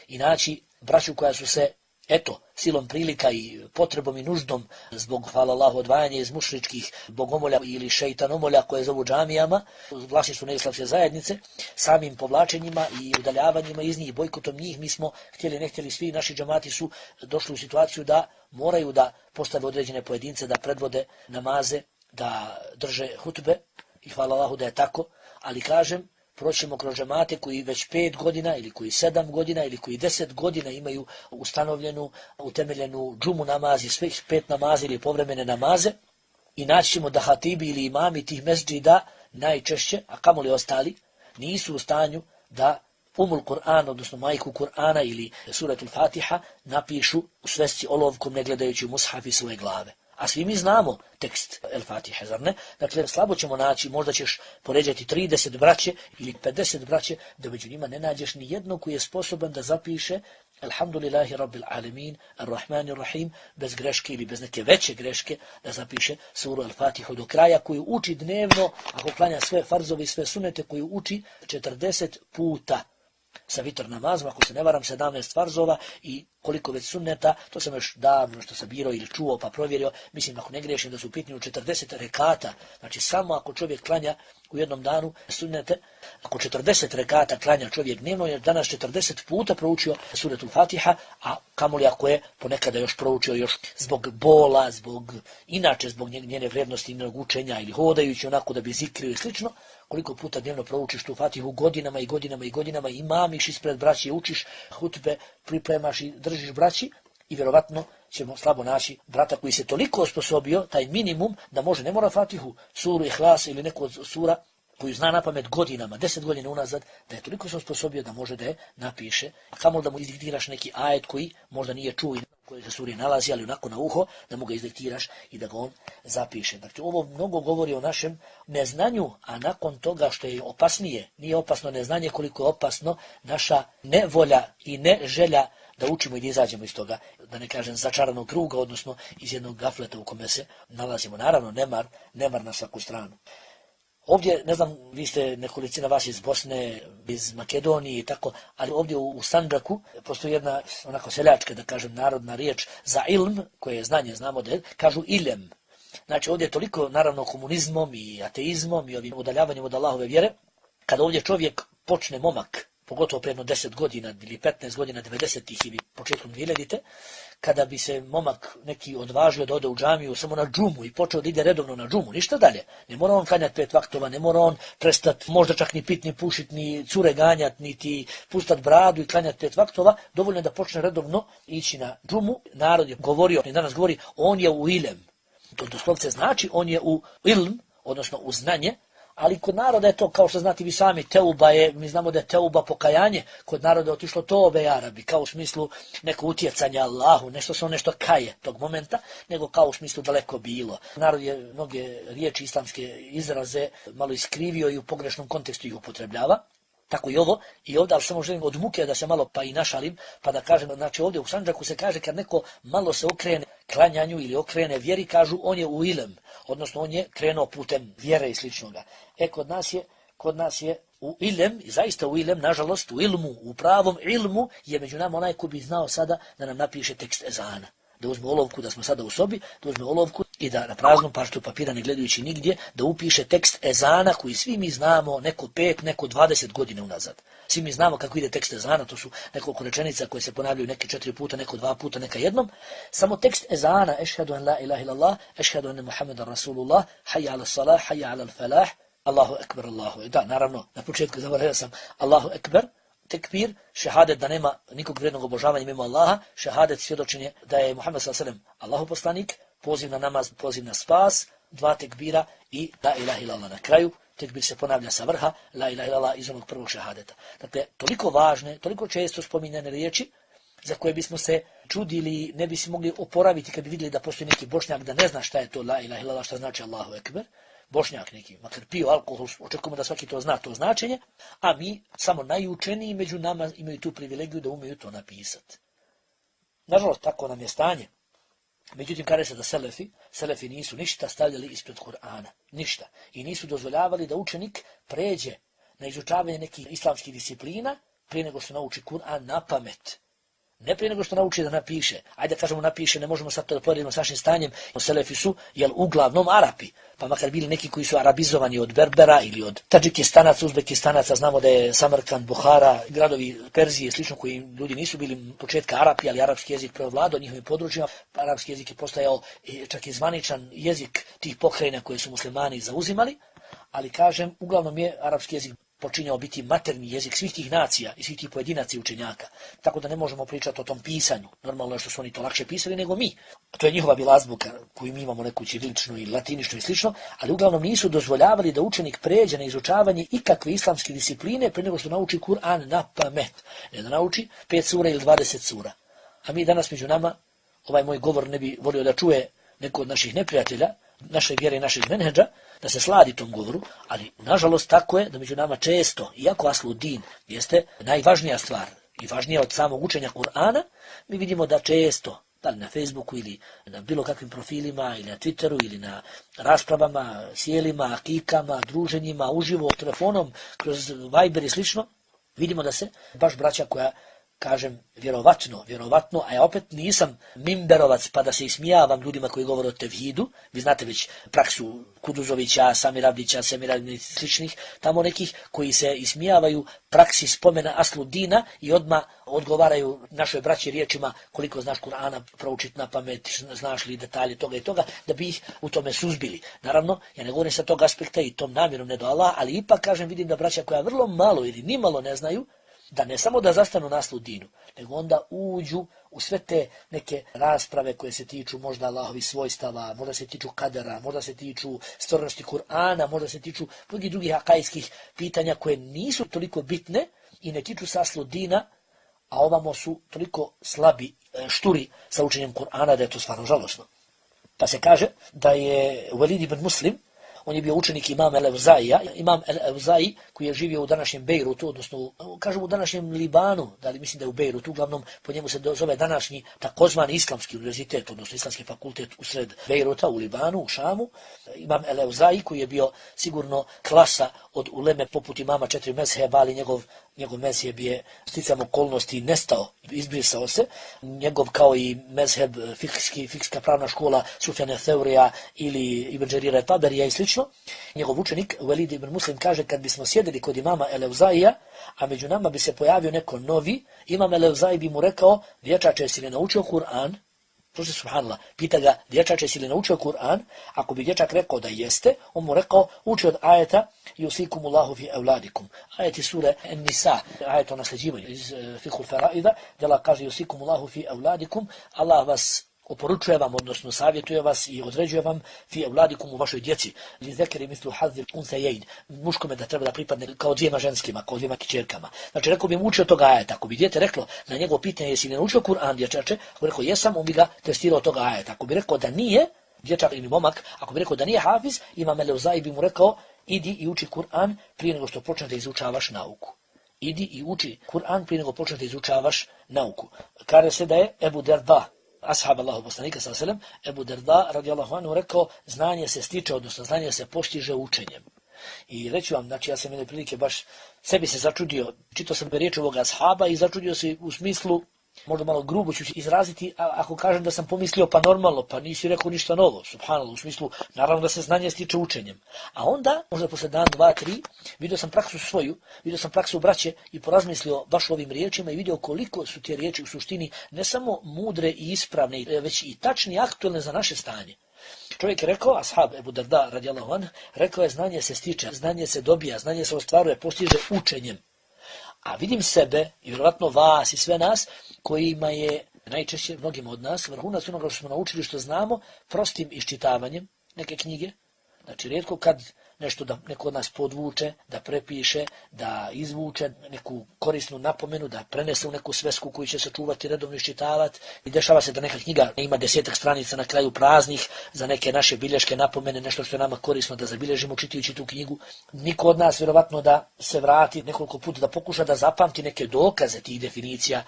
i naći braću koja su se, eto, silom prilika i potrebom i nuždom zbog, hvala Allahu, odvajanja iz mušričkih bogomolja ili šeitanomolja koje zovu džamijama, vlasništvo neislamske zajednice, samim povlačenjima i udaljavanjima iz njih, bojkotom njih, mi smo htjeli, ne htjeli, svi naši džamati su došli u situaciju da moraju da postave određene pojedince, da predvode namaze, da drže hutbe i hvala Allahu da je tako, ali kažem, proćemo kroz džemate koji već pet godina ili koji sedam godina ili koji deset godina imaju ustanovljenu, utemeljenu džumu namazi, svih pet namazi ili povremene namaze i naći ćemo da hatibi ili imami tih mesdžida najčešće, a kamoli ostali, nisu u stanju da Umul Kur'an, odnosno majku Kur'ana ili suratul Fatiha napišu u svesci olovkom ne gledajući u mushaf i svoje glave. A svi mi znamo tekst El Fatihe, zar ne? Dakle, slabo ćemo naći, možda ćeš poređati trideset braće ili pedeset braće, da među njima ne nađeš ni jednog koji je sposoban da zapiše Alhamdulillahi Rabbil Alamin, Ar-Rahmanir Rahim, bez greške ili bez neke veće greške, da zapiše suru El Fatihu do kraja, koju uči dnevno, ako klanja sve farzove i sve sunete, koju uči četrdeset puta. Sa vitr namazom, ako se ne varam, sedamnaest farzova i koliko već sunneta, to sam još davno što sam birao ili čuo pa provjerio, mislim ako ne griješim da su u pitanju četrdeset rekata, znači samo ako čovjek klanja u jednom danu sunnete, ako četrdeset rekata klanja čovjek dnevno, jer danas četrdeset puta proučio suratul Fatiha, a kamoli ako je ponekada još proučio još zbog bola, zbog inače zbog njene vrijednosti, njenog učenja ili hodajući onako da bi zikrio i slično, koliko puta dnevno proučiš tu Fatihu godinama i godinama i godinama i mamiš ispred braći, učiš hutbe, pripremaš i držiš braći i vjerovatno ćemo slabo naći brata koji se toliko osposobio, taj minimum, da može, ne mora Fatihu, suru Ihlas ili neku od sura koju zna na pamet godinama, deset godina unazad, da je toliko se osposobio da može da je napiše, a kamoli da mu izdiktiraš neki ajet koji možda nije čuo i koji se suri nalazi, ali onako na uho, da mu ga izdiktiraš i da ga on zapiše. Dakle, ovo mnogo govori o našem neznanju, a nakon toga što je opasnije, nije opasno neznanje koliko je opasno naša nevolja i ne želja da učimo i da izađemo iz toga, da ne kažem začaranog kruga, odnosno iz jednog gafleta u kome se nalazimo. Naravno, nemar, nemar na svaku stranu. Ovdje, ne znam, vi ste nekolicina vas iz Bosne, iz Makedonije i tako, ali ovdje u, u Sandžaku postoji jedna onako seljačka, da kažem, narodna riječ za ilm, koje je znanje, znamo da je, kažu ilem. Znači ovdje je toliko, naravno, komunizmom i ateizmom i ovim udaljavanjem od Allahove vjere, kada ovdje čovjek počne, momak, pogotovo prije jedno deset godina ili petnaest godina, devedesetih ili početkom dvijesedmih, kada bi se momak neki odvažio da ode u džamiju samo na džumu i počeo da ide redovno na džumu, ništa dalje. Ne mora on klanjati pet vaktova, ne mora on prestati možda čak ni pit, ni pušit, ni cure ganjati, niti pustat bradu i klanjati pet vaktova, dovoljno je da počne redovno ići na džumu. Narod je govorio, i danas govori, on je u ilem. To doslovce znači on je u ilm, odnosno u znanje, ali kod naroda je to, kao što znate vi sami, teuba je, mi znamo da je teuba pokajanje, kod naroda je otišlo tobe Arabi, kao u smislu neko utjecanja Allahu, nešto se on nešto kaje tog momenta, nego kao u smislu daleko bilo. Narod je mnoge riječi islamske izraze malo iskrivio i u pogrešnom kontekstu ih upotrebljava. Tako i ovo, i ovdje, ali samo želim od muke da se malo pa i našalim, pa da kažem, znači ovdje u Sandžaku se kaže kad neko malo se okrene klanjanju ili okrene vjeri, kažu on je u ilem, odnosno on je krenuo putem vjere i sličnoga. E, kod nas je, kod nas je u ilem, i zaista u ilem, nažalost, u ilmu, u pravom ilmu, je među nama onaj ko bi znao sada da nam napiše tekst ezana. Da uzme olovku, da smo sada u sobi, da uzme olovku i da na praznom parčetu papira, ne gledajući nigdje, da upiše tekst ezana koji svi mi znamo neko pet, neko dvadeset godina unazad. Svi mi znamo kako ide tekst ezana, to su nekoliko rečenica koje se ponavljaju neke četiri puta, neko dva puta, neka jednom. Samo tekst ezana, ešhedu en la ilaha illallah, ešhedu ene Muhammedan Rasulullah, hayya ala salah, hayya ala falah, Allahu ekber, Allahu. Da, naravno, na početku zaboravio sam Allahu ekber, tekbir, šehadet da nema nikog vrednog obožavanja mimo Allaha, šehadet svjedočenje da je Muhammed sallallahu alejhi ve sellem Allahu poslanik, poziv na namaz, poziv na spas, dva tekbira i la ilaha illallah na kraju. Tekbir se ponavlja sa vrha, la ilaha illallah iz onog prvog šehadeta. Dakle, toliko važne, toliko često spominjane riječi za koje bismo se čudili, ne bi se mogli oporaviti kad bi vidjeli da postoji neki Bošnjak da ne zna šta je to la ilaha illallah, šta znači Allahu ekber. Bošnjak neki, makar pio alkohol, očekujemo da svaki to zna to značenje, a mi, samo najučeniji među nama, imaju tu privilegiju da umeju to napisati. Nažalost, tako nam je stanje. Međutim, kaže se da selefi, selefi nisu ništa stavljali ispred Kur'ana, ništa. I nisu dozvoljavali da učenik pređe na izučavanje nekih islamskih disciplina prije nego što nauči Kur'an na pamet. Ne prije nego što nauči da napiše. Ajde da kažemo napiše, ne možemo sad to da poredimo s našim stanjem. Selefi su, jel, uglavnom Arapi. Pa makar bili neki koji su arabizovani od Berbera ili od Tadžikistanaca, Uzbekistanaca, znamo da je Samarkand, Buhara, gradovi Perzije, slično koji ljudi nisu bili početka Arapi, ali arapski jezik preovladao njihovim područjima. Arapski jezik je postajao čak i zvaničan jezik tih pokrajina koje su muslimani zauzimali, ali kažem, uglavnom je arapski jezik počinjao biti materni jezik svih tih nacija i svih tih pojedinaca i učenjaka. Tako da ne možemo pričati o tom pisanju. Normalno je što su oni to lakše pisali nego mi. To je njihova bila azbuka koju mi imamo neku ćiriličnu i latiničnu i slično, ali uglavnom nisu dozvoljavali da učenik pređe na izučavanje ikakve islamske discipline prije nego što nauči Kur'an na pamet. Ne da nauči pet sura ili dvadeset sura. A mi danas među nama, ovaj moj govor ne bi volio da čuje neko od naših neprijatelja, naše vjere i našeg menhedža, da se sladi tom govoru, ali nažalost tako je da među nama često, iako asludin jeste najvažnija stvar i važnija od samog učenja Kur'ana, mi vidimo da često, da li na Facebooku ili na bilo kakvim profilima ili na Twitteru ili na raspravama, sjelima, akikama, druženjima, uživo, telefonom, kroz Viber i slično, vidimo da se baš braća koja, kažem, vjerovatno, vjerovatno, a ja opet nisam mimberovac pa da se ismijavam ljudima koji govore o tevhidu. Vi znate već praksu Kuduzovića, Samira Abdića, Semira i sličnih, tamo nekih koji se ismijavaju praksi spomena asludina i odmah odgovaraju našoj braći riječima koliko znaš Kur'ana proučiti na pamet, znaš li detalje toga i toga, da bi ih u tome suzbili. Naravno, ja ne govorim sa tog aspekta i tom namjerom ne do Allah, ali ipak kažem, vidim da braća koja vrlo malo ili nimalo ne znaju, da ne samo da zastanu na asludinu, nego onda uđu u sve te neke rasprave koje se tiču možda Allahovi svojstava, možda se tiču kadera, možda se tiču stvarnosti Kur'ana, možda se tiču mnogih drugih akajskih pitanja koje nisu toliko bitne i ne tiču se asludina, a ovamo su toliko slabi, šturi sa učenjem Kur'ana da je to stvarno žalosno. Pa se kaže da je Walid ibn Muslim, on je bio učenik imam el-Evzaija, imam el-Evzai koji je živio u današnjem Bejrutu, odnosno kažem u današnjem Libanu, da li mislim da je u Bejrutu, uglavnom po njemu se zove današnji takozvani islamski univerzitet, odnosno islamski fakultet usred Bejruta u Libanu, u Šamu. Imam el-Evzai koji je bio sigurno klasa od uleme poput imama četiri mezheba, ali njegov, njegov mezheb je sticam okolnosti nestao, izbrisao se. Njegov kao i mezheb fikski, fikska pravna škola Sufjana Theurija ili Ibn Đerira Taberija i slično, slično. Njegov učenik Velid ibn Muslim kaže, kad bismo sjedili kod imama Eleuzaija, a među nama bi se pojavio neko novi, imam Eleuzaj bi mu rekao, dječače, si li naučio Kur'an? Slušaj, subhanallah, pita ga, dječače, si li naučio Kur'an? Ako bi dječak rekao da jeste, on mu rekao, uči od ajeta yusikumullahu fi evladikum. Ajeti sure An-Nisa, ajet o nasljeđivanju iz uh, Fiqhul Faraida, gdje Allah kaže yusikumullahu fi evladikum, Allah vas oporučuje vam, odnosno savjetuje vas i određuje vam fi evladikum u vašoj djeci. Li zekeri mislu hazir unsejein, muškome da treba da pripadne kao dvijema ženskima, kao dvijema kćerkama. Znači, rekao bi mu učio toga ajeta. Ako bi dijete reklo na njegovo pitanje, jesi li naučio Kur'an, dječače, ako bi rekao jesam, on bi ga testirao toga ajeta. Ako bi rekao da nije, dječak ili momak, ako bi rekao da nije hafiz, imam Eleuzaj bi mu rekao, idi i uči Kur'an prije nego što počneš da izučavaš nauku. Idi i uči Kur'an prije nego počneš da izučavaš nauku. Kaže se da je Ebu Derda, ashab Allahu poslanika sallallahu alejhi ve sellem, Ebu Derda radijallahu anhu rekao, znanje se stiče, odnosno znanje se postiže učenjem. I reći vam, znači ja sam jedne prilike baš sebi se začudio, čitao sam riječ ovoga ashaba i začudio se u smislu, možda malo grubo ću izraziti, a ako kažem da sam pomislio pa normalno, pa nisi rekao ništa novo, subhanallah, u smislu, naravno da se znanje stiče učenjem. A onda, možda posle dan, dva, tri, vidio sam praksu svoju, vidio sam praksu braće i porazmislio baš ovim riječima i vidio koliko su te riječi u suštini ne samo mudre i ispravne, već i tačne i aktualne za naše stanje. Čovjek je rekao, ashab Ebu Derda radijallahu anhu, rekao je znanje se stiče, znanje se dobija, znanje se ostvaruje, postiže učenjem. A vidim sebe, i vjerovatno vas i sve nas, kojima je najčešće mnogim od nas vrhunac onoga što smo naučili, što znamo, prostim iščitavanjem neke knjige. Znači, rijetko kad nešto da neko od nas podvuče, da prepiše, da izvuče neku korisnu napomenu, da prenese u neku svesku koju će se čuvati, redovno iščitavati. I dešava se da neka knjiga ima desetak stranica na kraju praznih za neke naše bilješke napomene, nešto što je nama korisno da zabilježimo čitajući tu knjigu. Niko od nas vjerovatno da se vrati nekoliko puta, da pokuša da zapamti neke dokaze tih definicija.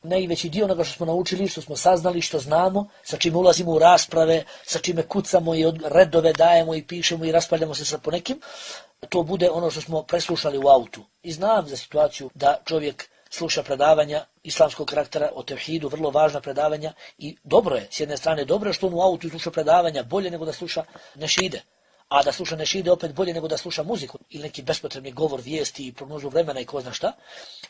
Najveći dio onoga što smo naučili, što smo saznali, što znamo, sa čime ulazimo u rasprave, sa čime kucamo i redove dajemo i pišemo i raspravljamo se sa ponekim, to bude ono što smo preslušali u autu. I znam za situaciju da čovjek sluša predavanja islamskog karaktera o tevhidu, vrlo važna predavanja i dobro je, s jedne strane dobro je što on u autu sluša predavanja bolje nego da sluša nešide. A da sluša nešide opet bolje nego da sluša muziku ili neki bespotrebni govor, vijesti i prognozu vremena i ko zna šta.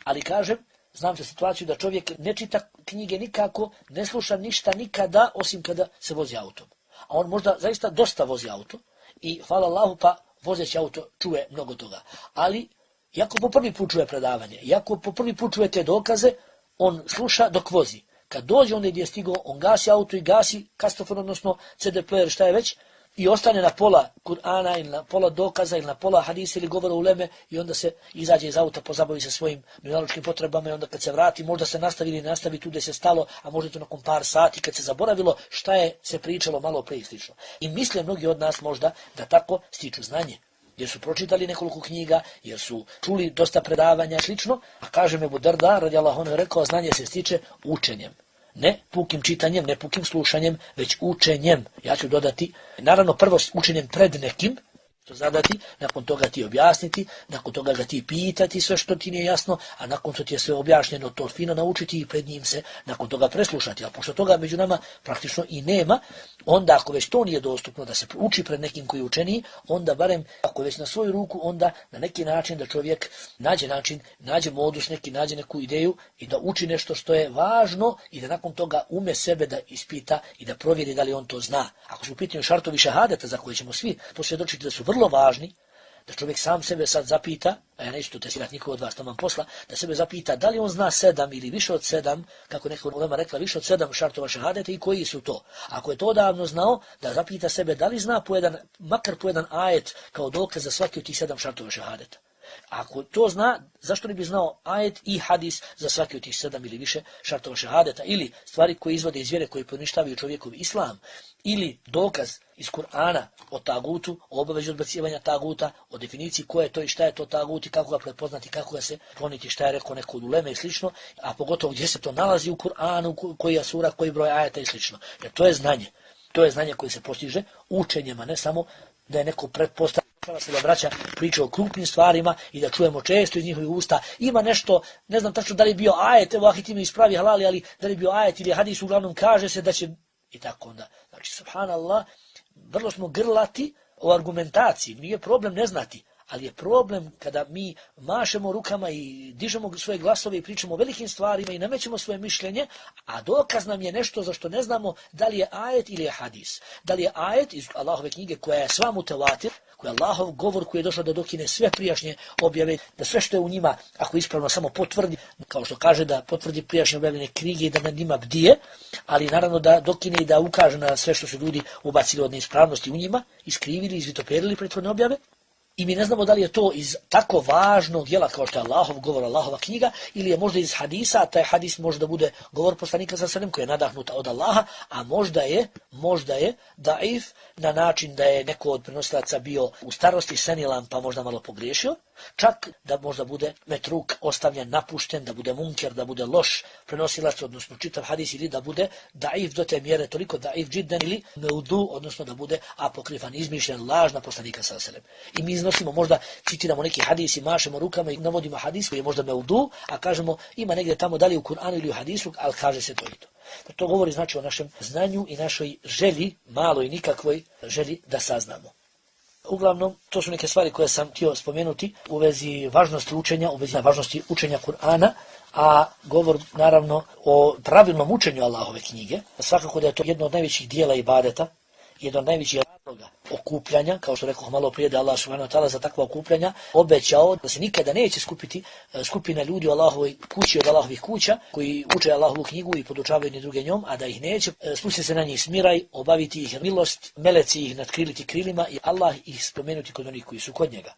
Ali kažem, znam za situaciju da čovjek ne čita knjige nikako, ne sluša ništa nikada, osim kada se vozi autom. A on možda zaista dosta vozi auto i hvala Allahu pa vozeći auto čuje mnogo toga. Ali, iako po prvi put čuje predavanje, iako po prvi put čuje te dokaze, on sluša dok vozi. Kad dođe onda gdje je stigao, on gasi auto i gasi kastofon, odnosno ce de player, šta je već, i ostane na pola Kur'ana ili na pola dokaza ili na pola hadisa ili govora uleme i onda se izađe iz auta, pozabavi se svojim dunjalučkim potrebama i onda kad se vrati, možda se nastavi ili nastavi tu gdje se stalo, a možda to nakon par sati kad se zaboravilo šta je se pričalo malo prije slično. I misle mnogi od nas možda da tako stiču znanje, jer su pročitali nekoliko knjiga, jer su čuli dosta predavanja i slično, a kaže Ebu Derda, radijallahu anhu, rekao, znanje se stiče učenjem. Ne pukim čitanjem, ne pukim slušanjem, već učenjem. Ja ću dodati, naravno prvo učenjem pred nekim, to zadati, nakon toga ti objasniti, nakon toga ga ti pitati sve što ti nije jasno, a nakon što ti je sve objašnjeno, to fino naučiti i pred njim se nakon toga preslušati. A pošto toga među nama praktično i nema, onda ako već to nije dostupno da se uči pred nekim koji je učeniji, onda barem ako već na svoju ruku, onda na neki način da čovjek nađe način, nađe modus neki, nađe neku ideju i da uči nešto što je važno i da nakon toga ume sebe da ispita i da provjeri da li on to zna. Ako su u pitanju šartovi šehadeta za koje ćemo svi posvjedočiti da su vrlo važni, da čovjek sam sebe sad zapita, a ja neću to testirati niko od vas, to vam posla, da sebe zapita da li on zna sedam ili više od sedam, kako neko ulema rekla, više od sedam šartova šehadeta i koji su to. Ako je to davno znao, da zapita sebe da li zna po jedan, makar po jedan ajet kao dokaz za svaki od tih sedam šartova šehadeta. Ako to zna, zašto ne bi znao ajet i hadis za svaki od tih sedam ili više šartova šehadeta, ili stvari koje izvode iz vjere, koje poništavaju čovjekov islam, ili dokaz iz Kur'ana o tagutu, o obavezu odbacivanja taguta, o definiciji ko je to i šta je to tagut i kako ga prepoznati, kako ga se kloniti, šta je rekao neko od uleme i slično, a pogotovo gdje se to nalazi u Kur'anu, koji je sura, koji broj ajeta i slično. Jer to je znanje. To je znanje koje se postiže učenjem, a ne samo da je neko pretpostavlja se da braća priča o krupnim stvarima i da čujemo često iz njihovih usta. Ima nešto, ne znam tačno da li je bio ajet, evo ahi ti mi ispravi halali, ali da li je bio ajet ili hadis, uglavnom kaže se da će i tako onda. Znači, subhanallah, vrlo smo grlati o argumentaciji, nije problem ne znati, ali je problem kada mi mašemo rukama i dižemo svoje glasove i pričamo o velikim stvarima i namećemo svoje mišljenje, a dokaz nam je nešto za što ne znamo da li je ajet ili je hadis. Da li je ajet iz Allahove knjige koja je sva mutevatir, koja je Allahov govor koji je došao da dokine sve prijašnje objave, da sve što je u njima, ako ispravno samo potvrdi, kao što kaže da potvrdi prijašnje objavljene knjige i da na njima bdije, ali naravno da dokine i da ukaže na sve što su ljudi ubacili od neispravnosti u njima, iskrivili, izvitoperili prethodne objave. I mi ne znamo da li je to iz tako važnog djela kao što je Allahov govor, Allahova knjiga, ili je možda iz hadisa, a taj hadis može da bude govor poslanika sallallahu alejhi ve sellem koji je nadahnut od Allaha, a možda je, možda je daif na način da je neko od prenosilaca bio u starosti senilan pa možda malo pogriješio, čak da možda bude metruk ostavljen, napušten, da bude munker, da bude loš prenosilac, odnosno čitav hadis, ili da bude daif do te mjere toliko daif džiddan ili meudu, odnosno da bude apokrifan, izmišljen, laž na poslanika sallallahu alejhi ve sellem. I mi iznosimo, možda citiramo neki hadis i mašemo rukama i navodimo hadis koji je možda meudu, a kažemo ima negdje tamo da li u Kur'anu ili u hadisu, ali kaže se to i to. To govori znači o našem znanju i našoj želji, maloj i nikakvoj želji da saznamo. Uglavnom, to su neke stvari koje sam htio spomenuti u vezi važnosti učenja, u vezi važnosti učenja Kur'ana, a govor naravno o pravilnom učenju Allahove knjige. Svakako da je to jedno od najvećih dijela ibadeta, jedno od najvećih razloga okupljanja, kao što rekao malo prije da Allah subhanahu wa ta'ala za takva okupljanja obećao da se nikada neće skupiti skupina ljudi u Allahovoj kući od Allahovih kuća koji uče Allahovu knjigu i podučavaju jedni druge njom, a da ih neće spustiti se na njih smiraj, obaviti ih milost, meleci ih nadkriliti krilima i Allah ih spomenuti kod onih koji su kod njega.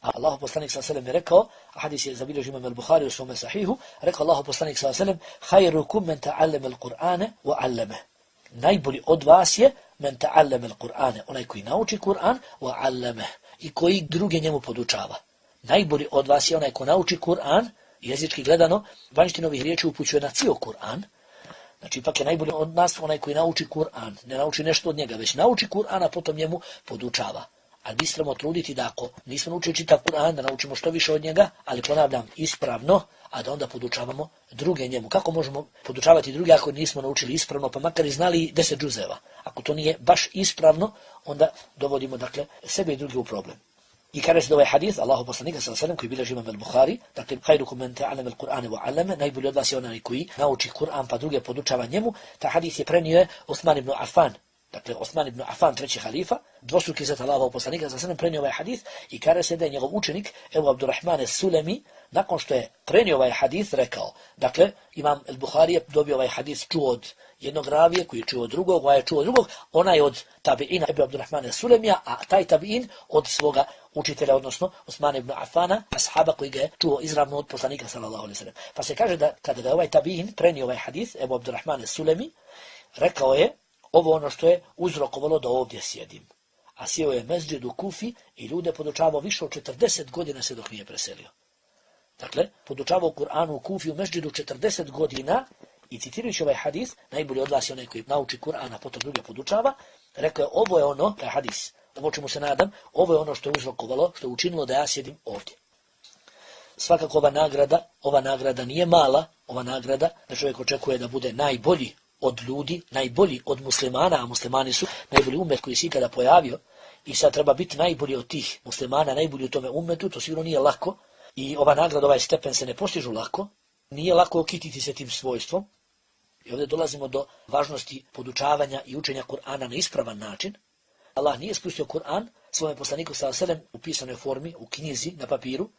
A Allahov poslanik sallallahu alejhi ve sellem je rekao, a hadis je zabilježio Imam al-Buhari u svom sahihu, rekao Allahov poslanik sallallahu alejhi ve sellem: "Khayrukum man ta'allama al-Qur'ana wa 'allamahu." Najbolji od vas je men ta'allama al-Qur'ana, onaj koji nauči Kur'an, wa 'allamahu, i koji druge njemu podučava. Najbolji od vas je onaj ko nauči Kur'an, jezički gledano, vanjština ovih riječi upućuje na cijel Kur'an. Znači, ipak je najbolji od nas onaj koji nauči Kur'an, ne nauči nešto od njega, već nauči Kur'an, a potom njemu podučava. Ali mi trebamo truditi da ako nismo naučili čitav Kur'an, da naučimo što više od njega, ali ponavljam ispravno, a da onda podučavamo druge njemu. Kako možemo podučavati druge ako nismo naučili ispravno, pa makar i znali deset džuzeva? Ako to nije baš ispravno, onda dovodimo dakle sebe i druge u problem. I kaže se da ovaj hadis Allahu poslanika sallallahu alejhi ve sellem koji bilježi Imam al-Buhari, dakle khayrukum man ta'allama al-Qur'ana wa 'allama, najbolji od vas je onaj koji nauči Kur'an pa druge podučava njemu. Ta hadis je prenio Osman ibn Affan. Dakle, Osman ibn Affan, treći halifa, dvostruki zet Allahovog poslanika sallallahu alejhi ve sellem prenio ovaj hadis i kaže se da je njegov učenik Ebu Abdurrahman as-Sulemi nakon što je prenio ovaj hadis rekao, dakle, Imam al-Buhari je dobio ovaj hadis čuo od jednog ravije koji je čuo od drugog, ovaj je čuo od drugog, onaj od tabiina Ebu Abdurrahman as-Sulemija, a taj tabiin od svoga učitelja, odnosno Osman ibn Affana, ashaba koji ga je čuo izravno od poslanika sallallahu alejhi ve sellem. Pa se kaže da kada ga ovaj tabiin prenio ovaj hadis Ebu Abdurrahman as-Sulemi, rekao je ovo ono što je uzrokovalo da ovdje sjedim. A sjeo je mezđid u Kufi i ljude podučavao više od četrdeset godina se dok nije preselio. Dakle, podučavao Kur'anu u Kufi u mezđidu četrdeset godina i citirajući ovaj hadis, najbolji od vas je onaj koji nauči Kur'ana, potom druge podučava, rekao je ovo je ono, taj hadis, ovo čemu se nadam, ovo je ono što je uzrokovalo, što je učinilo da ja sjedim ovdje. Svakako ova nagrada, ova nagrada nije mala, ova nagrada da čovjek očekuje da bude najbolji od ljudi, najbolji od muslimana, a muslimani su najbolji umet koji se ikada pojavio i sad treba biti najbolji od tih muslimana, najbolji u tome umetu, to sigurno nije lako i ova nagrada, ovaj stepen se ne postižu lako, nije lako okititi se tim svojstvom i ovdje dolazimo do važnosti podučavanja i učenja Kur'ana na ispravan način. Allah nije spustio Kur'an svome poslaniku sallallahu alejhi ve sellem u pisanoj formi, u knjizi, na papiru,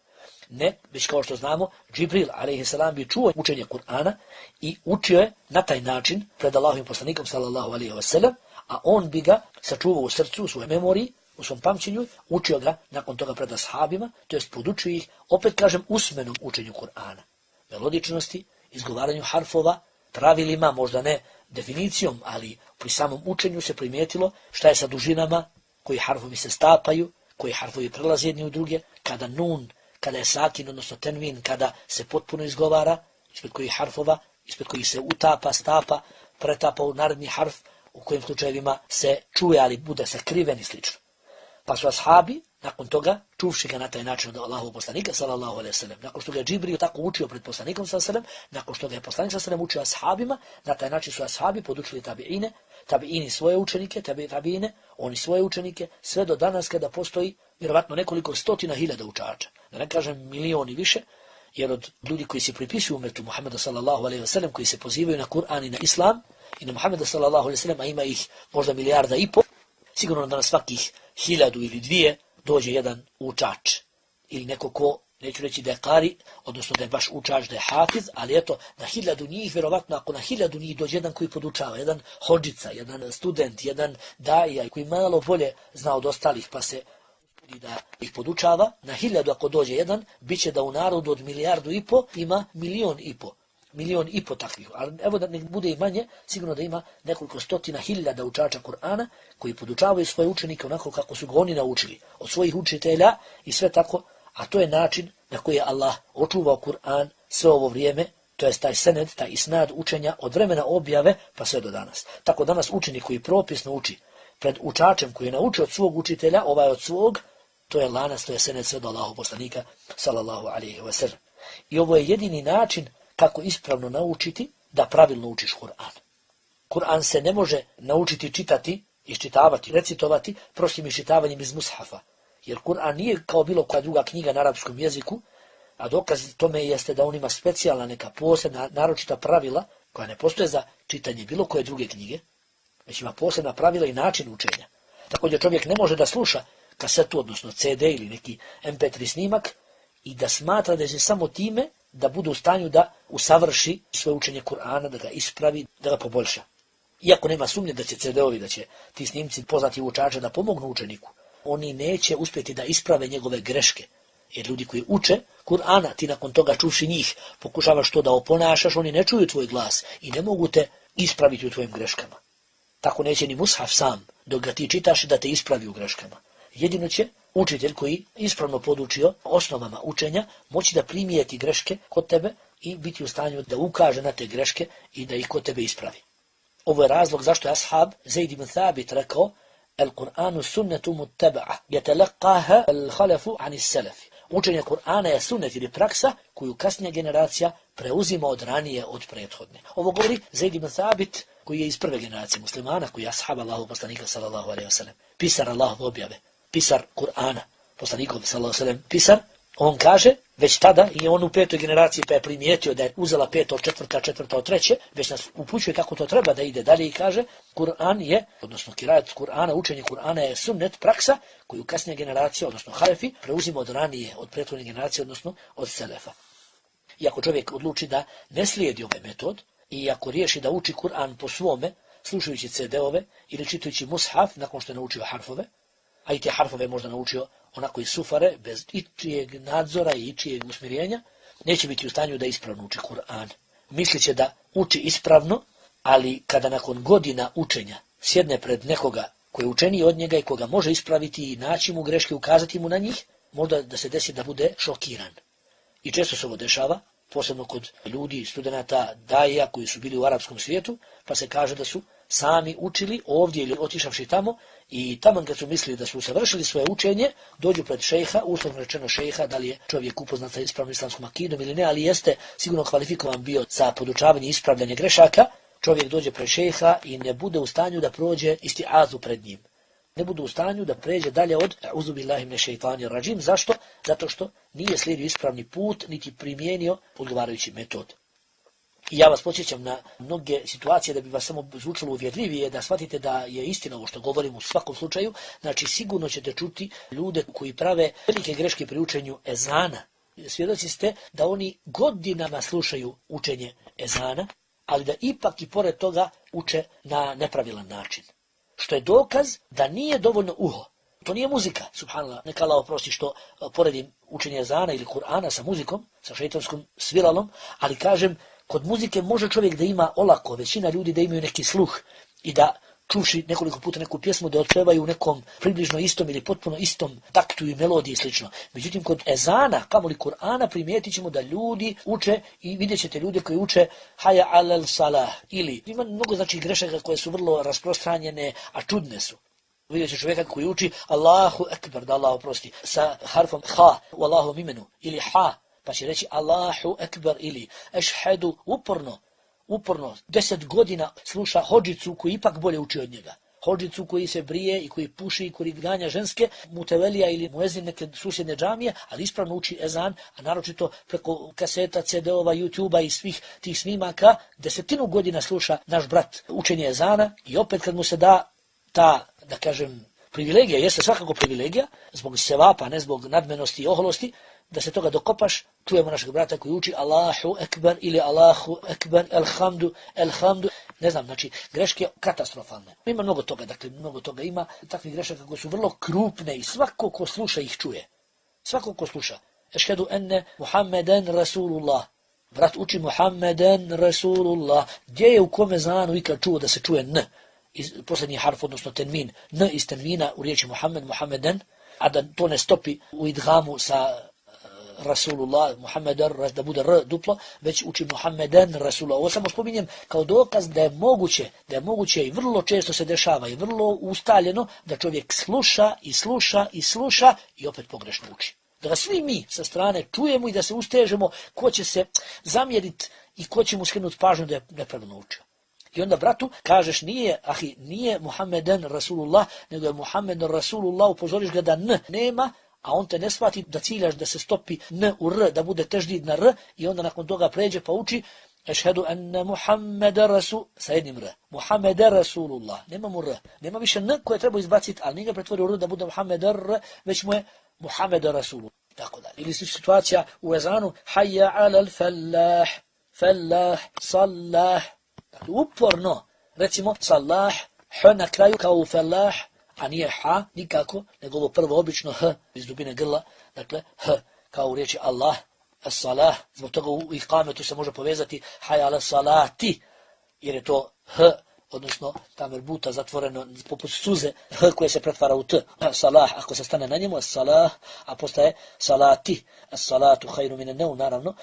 ne, već kao što znamo, Džibril alejhi selam bi čuo učenje Kur'ana i učio je na taj način pred Allahovim poslanikom sallallahu alejhi ve sellem, a on bi ga sačuvao u srcu, u svojoj memoriji, u svom pamćenju, učio ga nakon toga pred ashabima, to jest podučio ih, opet kažem, usmenom učenju Kur'ana. Melodičnosti, izgovaranju harfova, pravilima, možda ne definicijom, ali pri samom učenju se primijetilo šta je sa dužinama, koji harfovi se stapaju, koji harfovi prelaze jedni u druge, kada nun, kada je sakin, odnosno tenvin, kada se potpuno izgovara, ispred kojih harfova, ispred kojih se utapa, stapa, pretapa u naredni harf, u kojim slučajevima se čuje, ali bude sakriven i slično. Pa su ashabi, nakon toga, čuvši ga na taj način od Allahovog poslanika sallallahu alejhi ve sellem. Nakon što ga je Džibril tako učio pred poslanikom sallallahu alejhi ve sellem, nakon što ga je poslanik sallallahu alejhi ve sellem učio ashabima, na taj način su ashabi podučili tabiine, tabiini svoje učenike, tabi, tabiine, oni svoje učenike, sve do danas kada postoji vjerovatno nekoliko stotina hiljada učača, da ne kažem milioni više, jer od ljudi koji se pripisuju umetu Muhameda sallallahu alejhi ve sellem, koji se pozivaju na Kur'an i na Islam i na Muhameda sallallahu alejhi ve sellem, a ima ih možda milijarda i pol, sigurno da na svakih hiljadu ili dvije dođe jedan učač ili neko ko, neću reći da je kari, odnosno da je baš učač, da je hafiz, ali eto, na hiljadu njih, vjerovatno, ako na hiljadu njih dođe jedan koji podučava, jedan hodžica, jedan student, jedan daija, koji malo bolje zna od ostalih, pa se da ih podučava, na hiljadu ako dođe jedan, bit će da u narodu od milijardu i po ima milion i po. Milion i po takvih. Ali evo da ne bude i manje, sigurno da ima nekoliko stotina hiljada učača Kur'ana koji podučavaju svoje učenike onako kako su ga oni naučili od svojih učitelja i sve tako, a to je način na koji je Allah očuvao Kur'an sve ovo vrijeme, to je taj sened, taj isnad učenja od vremena objave pa sve do danas. Tako danas učenik koji propisno uči pred učačem koji je naučio od svog učitelja, ovaj od svog, to je lanac, to je sened sve do Allahovog poslanika sallallahu alejhi ve sellem. I ovo je jedini način kako ispravno naučiti da pravilno učiš Kur'an. Kur'an se ne može naučiti čitati, iščitavati, recitovati prostim iščitavanjem iz mushafa. Jer Kur'an nije kao bilo koja druga knjiga na arapskom jeziku, a dokaz tome jeste da on ima specijalna neka posebna, naročita pravila koja ne postoje za čitanje bilo koje druge knjige, već ima posebna pravila i način učenja. Također čovjek ne može da sluša kasetu, odnosno ce de ili neki em pe tri snimak i da smatra da će samo time da bude u stanju da usavrši svoje učenje Kur'ana, da ga ispravi, da ga poboljša. Iako nema sumnje da će ce de ovi, da će ti snimci poznati učača da pomognu učeniku, oni neće uspjeti da isprave njegove greške. Jer ljudi koji uče Kur'ana, ti nakon toga čuvši njih, pokušavaš to da oponašaš, oni ne čuju tvoj glas i ne mogu te ispraviti u tvojim greškama. Tako neće ni mushaf sam, dok ga ti čitaš, da te ispravi u greškama. Jedino će učitelj koji ispravno podučio osnovama učenja moći da primijeti greške kod tebe i biti u stanju da ukaže na te greške i da ih kod tebe ispravi. Ovo je razlog zašto je ashab Zaid ibn Thabit rekao Al-Qur'anu sunnetu muttaba'a yatalaqaha al-khalafu an as-salafi. Učenje Kur'ana je sunnet ili praksa koju kasnija generacija preuzima od ranije od prethodne. Ovo govori Zaid ibn Thabit koji je iz prve generacije muslimana, koji je ashab Allahovog poslanika sallallahu alejhi ve sellem, pisar Allahove objave, pisar Kur'ana, poslanikov sallallahu alejhi ve sellem, pisar. On kaže, već tada i on u petoj generaciji pa je primijetio da je uzela peto od četvrta, četvrta od treće, već nas upućuje kako to treba da ide dalje i kaže, Kur'an je, odnosno kirajet Kur'ana, učenje Kur'ana je sunnet, praksa koju kasnija generacija, odnosno halefi, preuzima od ranije, od prethodne generacije, odnosno od selefa. I ako čovjek odluči da ne slijedi ovaj metod, i ako riješi da uči Kur'an po svome, slušajući ce de ove ili čitajući mushaf nakon što je naučio harfove, a i te harfove možda naučio onako iz sufare, bez ičijeg nadzora i ičijeg usmjerenja, neće biti u stanju da ispravno uči Kur'an. Mislit će da uči ispravno, ali kada nakon godina učenja sjedne pred nekoga koji je učeniji od njega i koga može ispraviti i naći mu greške, ukazati mu na njih, možda da se desi da bude šokiran. I često se ovo dešava, posebno kod ljudi, studenata, daija koji su bili u arapskom svijetu, pa se kaže da su sami učili ovdje ili otišavši tamo i tamo kad su mislili da su usavršili svoje učenje, dođu pred šejha, uslovno rečeno šejha, da li je čovjek upoznat sa ispravnom islamskom akidom ili ne, ali jeste sigurno kvalifikovan bio za podučavanje i ispravljanje grešaka, čovjek dođe pred šejha i ne bude u stanju da prođe istiazu pred njim. Ne bude u stanju da pređe dalje od A'udhu billahi minash shaitanir rajim. Zašto? Zato što nije slijedio ispravni put, niti primijenio odgovarajući metod. I ja vas podsjećam na mnoge situacije da bi vas samo zvučalo uvjerljivije, da shvatite da je istina ovo što govorim u svakom slučaju. Znači sigurno ćete čuti ljude koji prave velike greške pri učenju ezana. Svjedoci ste da oni godinama slušaju učenje ezana, ali da ipak i pored toga uče na nepravilan način. Što je dokaz da nije dovoljno uho. To nije muzika, subhanallah, neka Allah oprosti što poredim učenje ezana ili Kur'ana sa muzikom, sa šejtanskom sviralom, ali kažem, kod muzike može čovjek da ima olako, većina ljudi da imaju neki sluh i da čuši nekoliko puta neku pjesmu da otpevaju u nekom približno istom ili potpuno istom taktu i melodiji i slično. Međutim, kod ezana, kamoli Kur'ana, primijetit ćemo da ljudi uče i vidjet ćete ljude koji uče haja alel salah ili ima mnogo znači grešaka koje su vrlo rasprostranjene, a čudne su. Vidjet će čovjeka koji uči Allahu ekber, da Allah oprosti, sa harfom ha u Allahom imenu, ili ha, pa će reći Allahu ekber, ili ešhedu, uporno, uporno, deset godina sluša hodžicu koji ipak bolje uči od njega. Hodžicu koji se brije i koji puši i koji ganja ženske, mutevelija ili muezin neke susjedne džamije, ali ispravno uči ezan, a naročito preko kaseta, ce de ova, YouTube-a i svih tih snimaka, desetinu godina sluša naš brat učenje ezana i opet kad mu se da ta, da kažem, privilegija, jeste svakako privilegija, zbog sevapa, ne zbog nadmenosti i oholosti, da se toga dokopaš, čujemo našeg brata koji uči Allahu ekber ili Allahu ekber, elhamdu, elhamdu, ne znam, znači, greške katastrofalne. Ima mnogo toga, dakle, mnogo toga ima, takvih grešaka koje su vrlo krupne i svako ko sluša ih čuje. Svako ko sluša. Ešhedu enne Muhammeden Rasulullah. Brat uči Muhammeden Rasulullah. Gdje je u kome zanu ikad čuo da se čuje N? Iz, posljednji harf, odnosno tenmin. N iz tenmina u riječi Muhammed, Muhammeden, a da to ne stopi u idgamu sa Rasulullah, Muhammeden, da bude R duplo, već uči Muhammeden Rasulullah. Ovo samo spominjem kao dokaz da je moguće, da je moguće i vrlo često se dešava i vrlo ustaljeno da čovjek sluša i sluša i sluša i opet pogrešno uči. Da ga svi mi sa strane čujemo i da se ustežemo ko će se zamjeriti i ko će mu skrenuti pažnju da je nepravilno učio. I onda bratu kažeš nije, ahi, nije Muhammeden Rasulullah, nego je Muhammeden Rasulullah, upozoriš ga da N nema, a on te ne shvati da ciljaš da se stopi N u R, da bude teždid na R, i onda nakon toga pređe pa uči ešhedu enne Muhammeda Rasul, sa jednim R, Muhammeda Rasulullah, nema mu R, nema više N koje treba izbaciti, ali nije ga pretvorio R da bude Muhammeda R, već mu je Muhammeda Rasulullah, tako dalje. Ili slična situacija u ezanu, hayya alal fallah, fallah, sallah, dakle, uporno, recimo, sallah, h na kraju kao u fallah, a nije ha nikako, nego ovo prvo obično h iz dubine grla, dakle h kao u riječi Allah, as-salah, zbog toga u ikametu se može povezati hayya ala salati, jer je to h, odnosno ta merbuta zatvoreno poput suze, h koje se pretvara u t, salah, ako se stane na njemu, as-salah, a postaje salati, as-salatu khairu min an-nawm, naravno,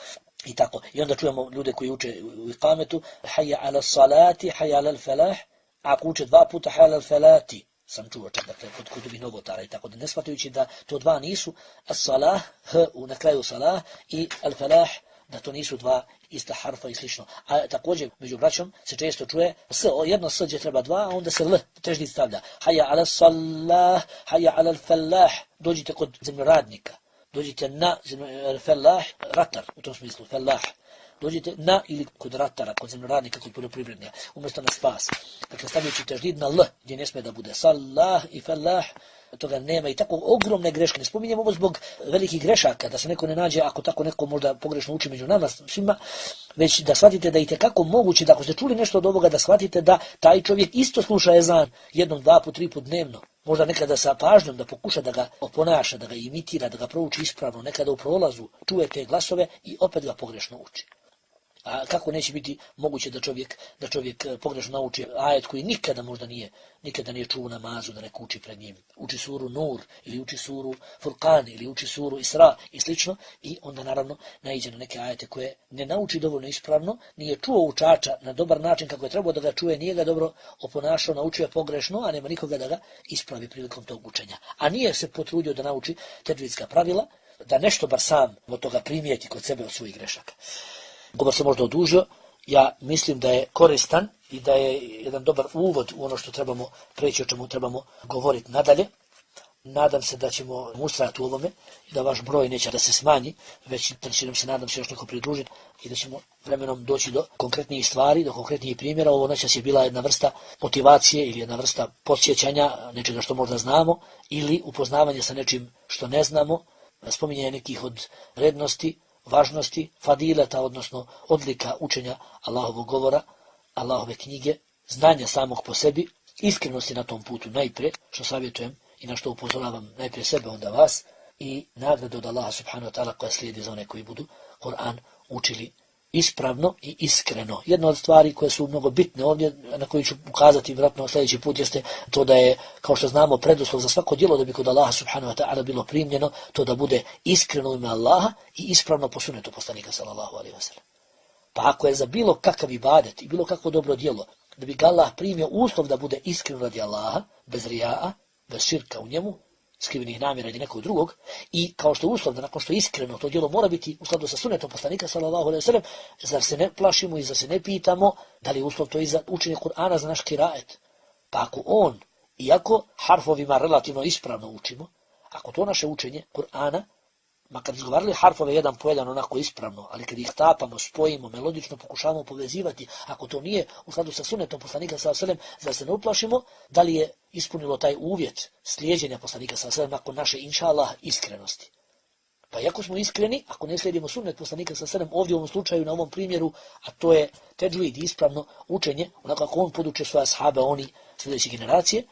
i tako. I onda čujemo ljude koji uče u ikametu, hayya ala salati, hayya ala al-falah, a ako uče dva puta hayya ala al-falati, sam čuo čak, dakle, kod kutubih novotara i tako da ne shvatajući da to dva nisu as-salah, h na kraju salah i al-falah, da to nisu dva ista harfa i slično. A također među braćom se često čuje s, jedno s gdje treba dva, a onda se l teždid stavlja. Hayya ala salah, hayya ala al-falah, dođite kod zemljoradnika, dođite na al-falah, ratar, u tom smislu, falah. Dođite na ili kod ratara, kod zemljoradnika, kod poljoprivrednija, umjesto na spas. Dakle, stavljajući teždid na l, gdje ne smije da bude salah i falah, toga nema i tako ogromne greške. Ne spominjem ovo zbog velikih grešaka, da se neko ne nađe, ako tako neko možda pogrešno uči među nama svima, već da shvatite da i tekako moguće, da ako ste čuli nešto od ovoga, da shvatite da taj čovjek isto sluša ezan jednom, dva put, tri put dnevno. Možda nekada sa pažnjom da pokuša da ga oponaša, da ga imitira, da ga prouči ispravno, nekada u prolazu čuje te glasove i opet ga pogrešno uči. A kako neće biti moguće da čovjek da čovjek pogrešno nauči ajet koji nikada možda nije nikada nije čuo namazu da neko uči pred njim. Uči suru Nur ili uči suru Furqan ili uči suru Isra i slično i onda naravno naiđe na neke ajete koje ne nauči dovoljno ispravno, nije čuo učača na dobar način kako je trebao da ga čuje, nije ga dobro oponašao, naučio je pogrešno, a nema nikoga da ga ispravi prilikom tog učenja. A nije se potrudio da nauči tedvidska pravila, da nešto bar sam od toga primijeti kod sebe od svojih grešaka. Govor se možda odužio, ja mislim da je koristan i da je jedan dobar uvod u ono što trebamo preći, o čemu trebamo govoriti nadalje. Nadam se da ćemo ustrajati u ovome i da vaš broj neće da se smanji, već da će nam se, nadam se, još neko pridružiti i da ćemo vremenom doći do konkretnijih stvari, do konkretnijih primjera. Ovo noćas je bila jedna vrsta motivacije ili jedna vrsta podsjećanja nečega što možda znamo ili upoznavanje sa nečim što ne znamo, spominjanje nekih od rednosti, važnosti, fadileta, odnosno odlika učenja Allahovog govora, Allahove knjige, znanja samog po sebi, iskrenosti na tom putu najprije, što savjetujem i na što upozoravam najprije sebe, onda vas, i nagradu od Allaha subhanahu wa ta'ala koja slijedi za one koji budu Kur'an učili ispravno i iskreno. Jedna od stvari koje su mnogo bitne ovdje, na koju ću ukazati vjerojatno sljedeći put, jeste to da je, kao što znamo, preduslov za svako djelo da bi kod Allaha subhanahu wa ta'ala bilo primljeno, to da bude iskreno u ime Allaha i ispravno po sunnetu poslanika sallallahu alejhi ve sellem. Pa ako je za bilo kakav ibadet i bilo kakvo dobro djelo, da bi ga Allah primio uslov da bude iskren radi Allaha, bez rija'a, bez širka u njemu, skrivenih namjera ili nekog drugog, i kao što je uslov da nakon što je iskreno to djelo mora biti u skladu sa sunnetom poslanika sallallahu alejhi ve sellem, zar se ne plašimo i zar se ne pitamo da li je uslov to i za učenje Kur'ana za naš kiraet? Pa ako on, iako harfovima relativno ispravno učimo, ako to naše učenje Kur'ana, makar izgovarali harfove jedan po jedan onako ispravno, ali kad ih tapamo, spojimo, melodično pokušavamo povezivati, ako to nije u skladu sa sunnetom poslanika sallallahu alejhi ve sellem, zar se ne uplašimo da li je ispunilo taj uvjet slijeđenja poslanika sallallahu alejhi ve sellem nakon naše inšallah iskrenosti? Pa iako smo iskreni, ako ne slijedimo sunnet poslanika sallallahu alejhi ve sellem, ovdje u ovom slučaju, na ovom primjeru, a to je teđvid, ispravno učenje, onako kako on poduče svoje ashabe, oni sljedeće generacije,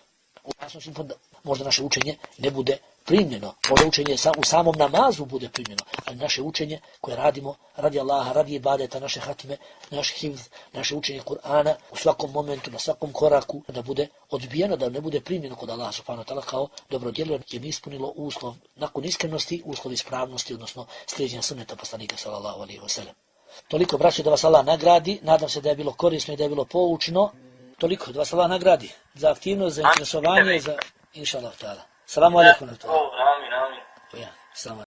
možda naše učenje ne bude primljeno, možda učenje u samom namazu bude primljeno, ali naše učenje koje radimo radi Allaha, radi ibadeta, naše hatime, naš hifz, naše učenje Kur'ana u svakom momentu, na svakom koraku, da bude odbijeno, da ne bude primljeno kod Allaha subhanahu wa ta'ala kao dobro djelo, jer ne ispunilo uslov nakon iskrenosti, uslov ispravnosti, odnosno slijeđenja sunneta poslanika sallallahu alejhi ve sellem. Toliko, braćo, da vas Allah nagradi, nadam se da je bilo korisno i da je bilo poučno. Toliko, da vas Allah nagradi za aktivnost, za interesovanje, za inša Allah ta'ala. Salamu alaikum. Amin, amin. Ja, salamu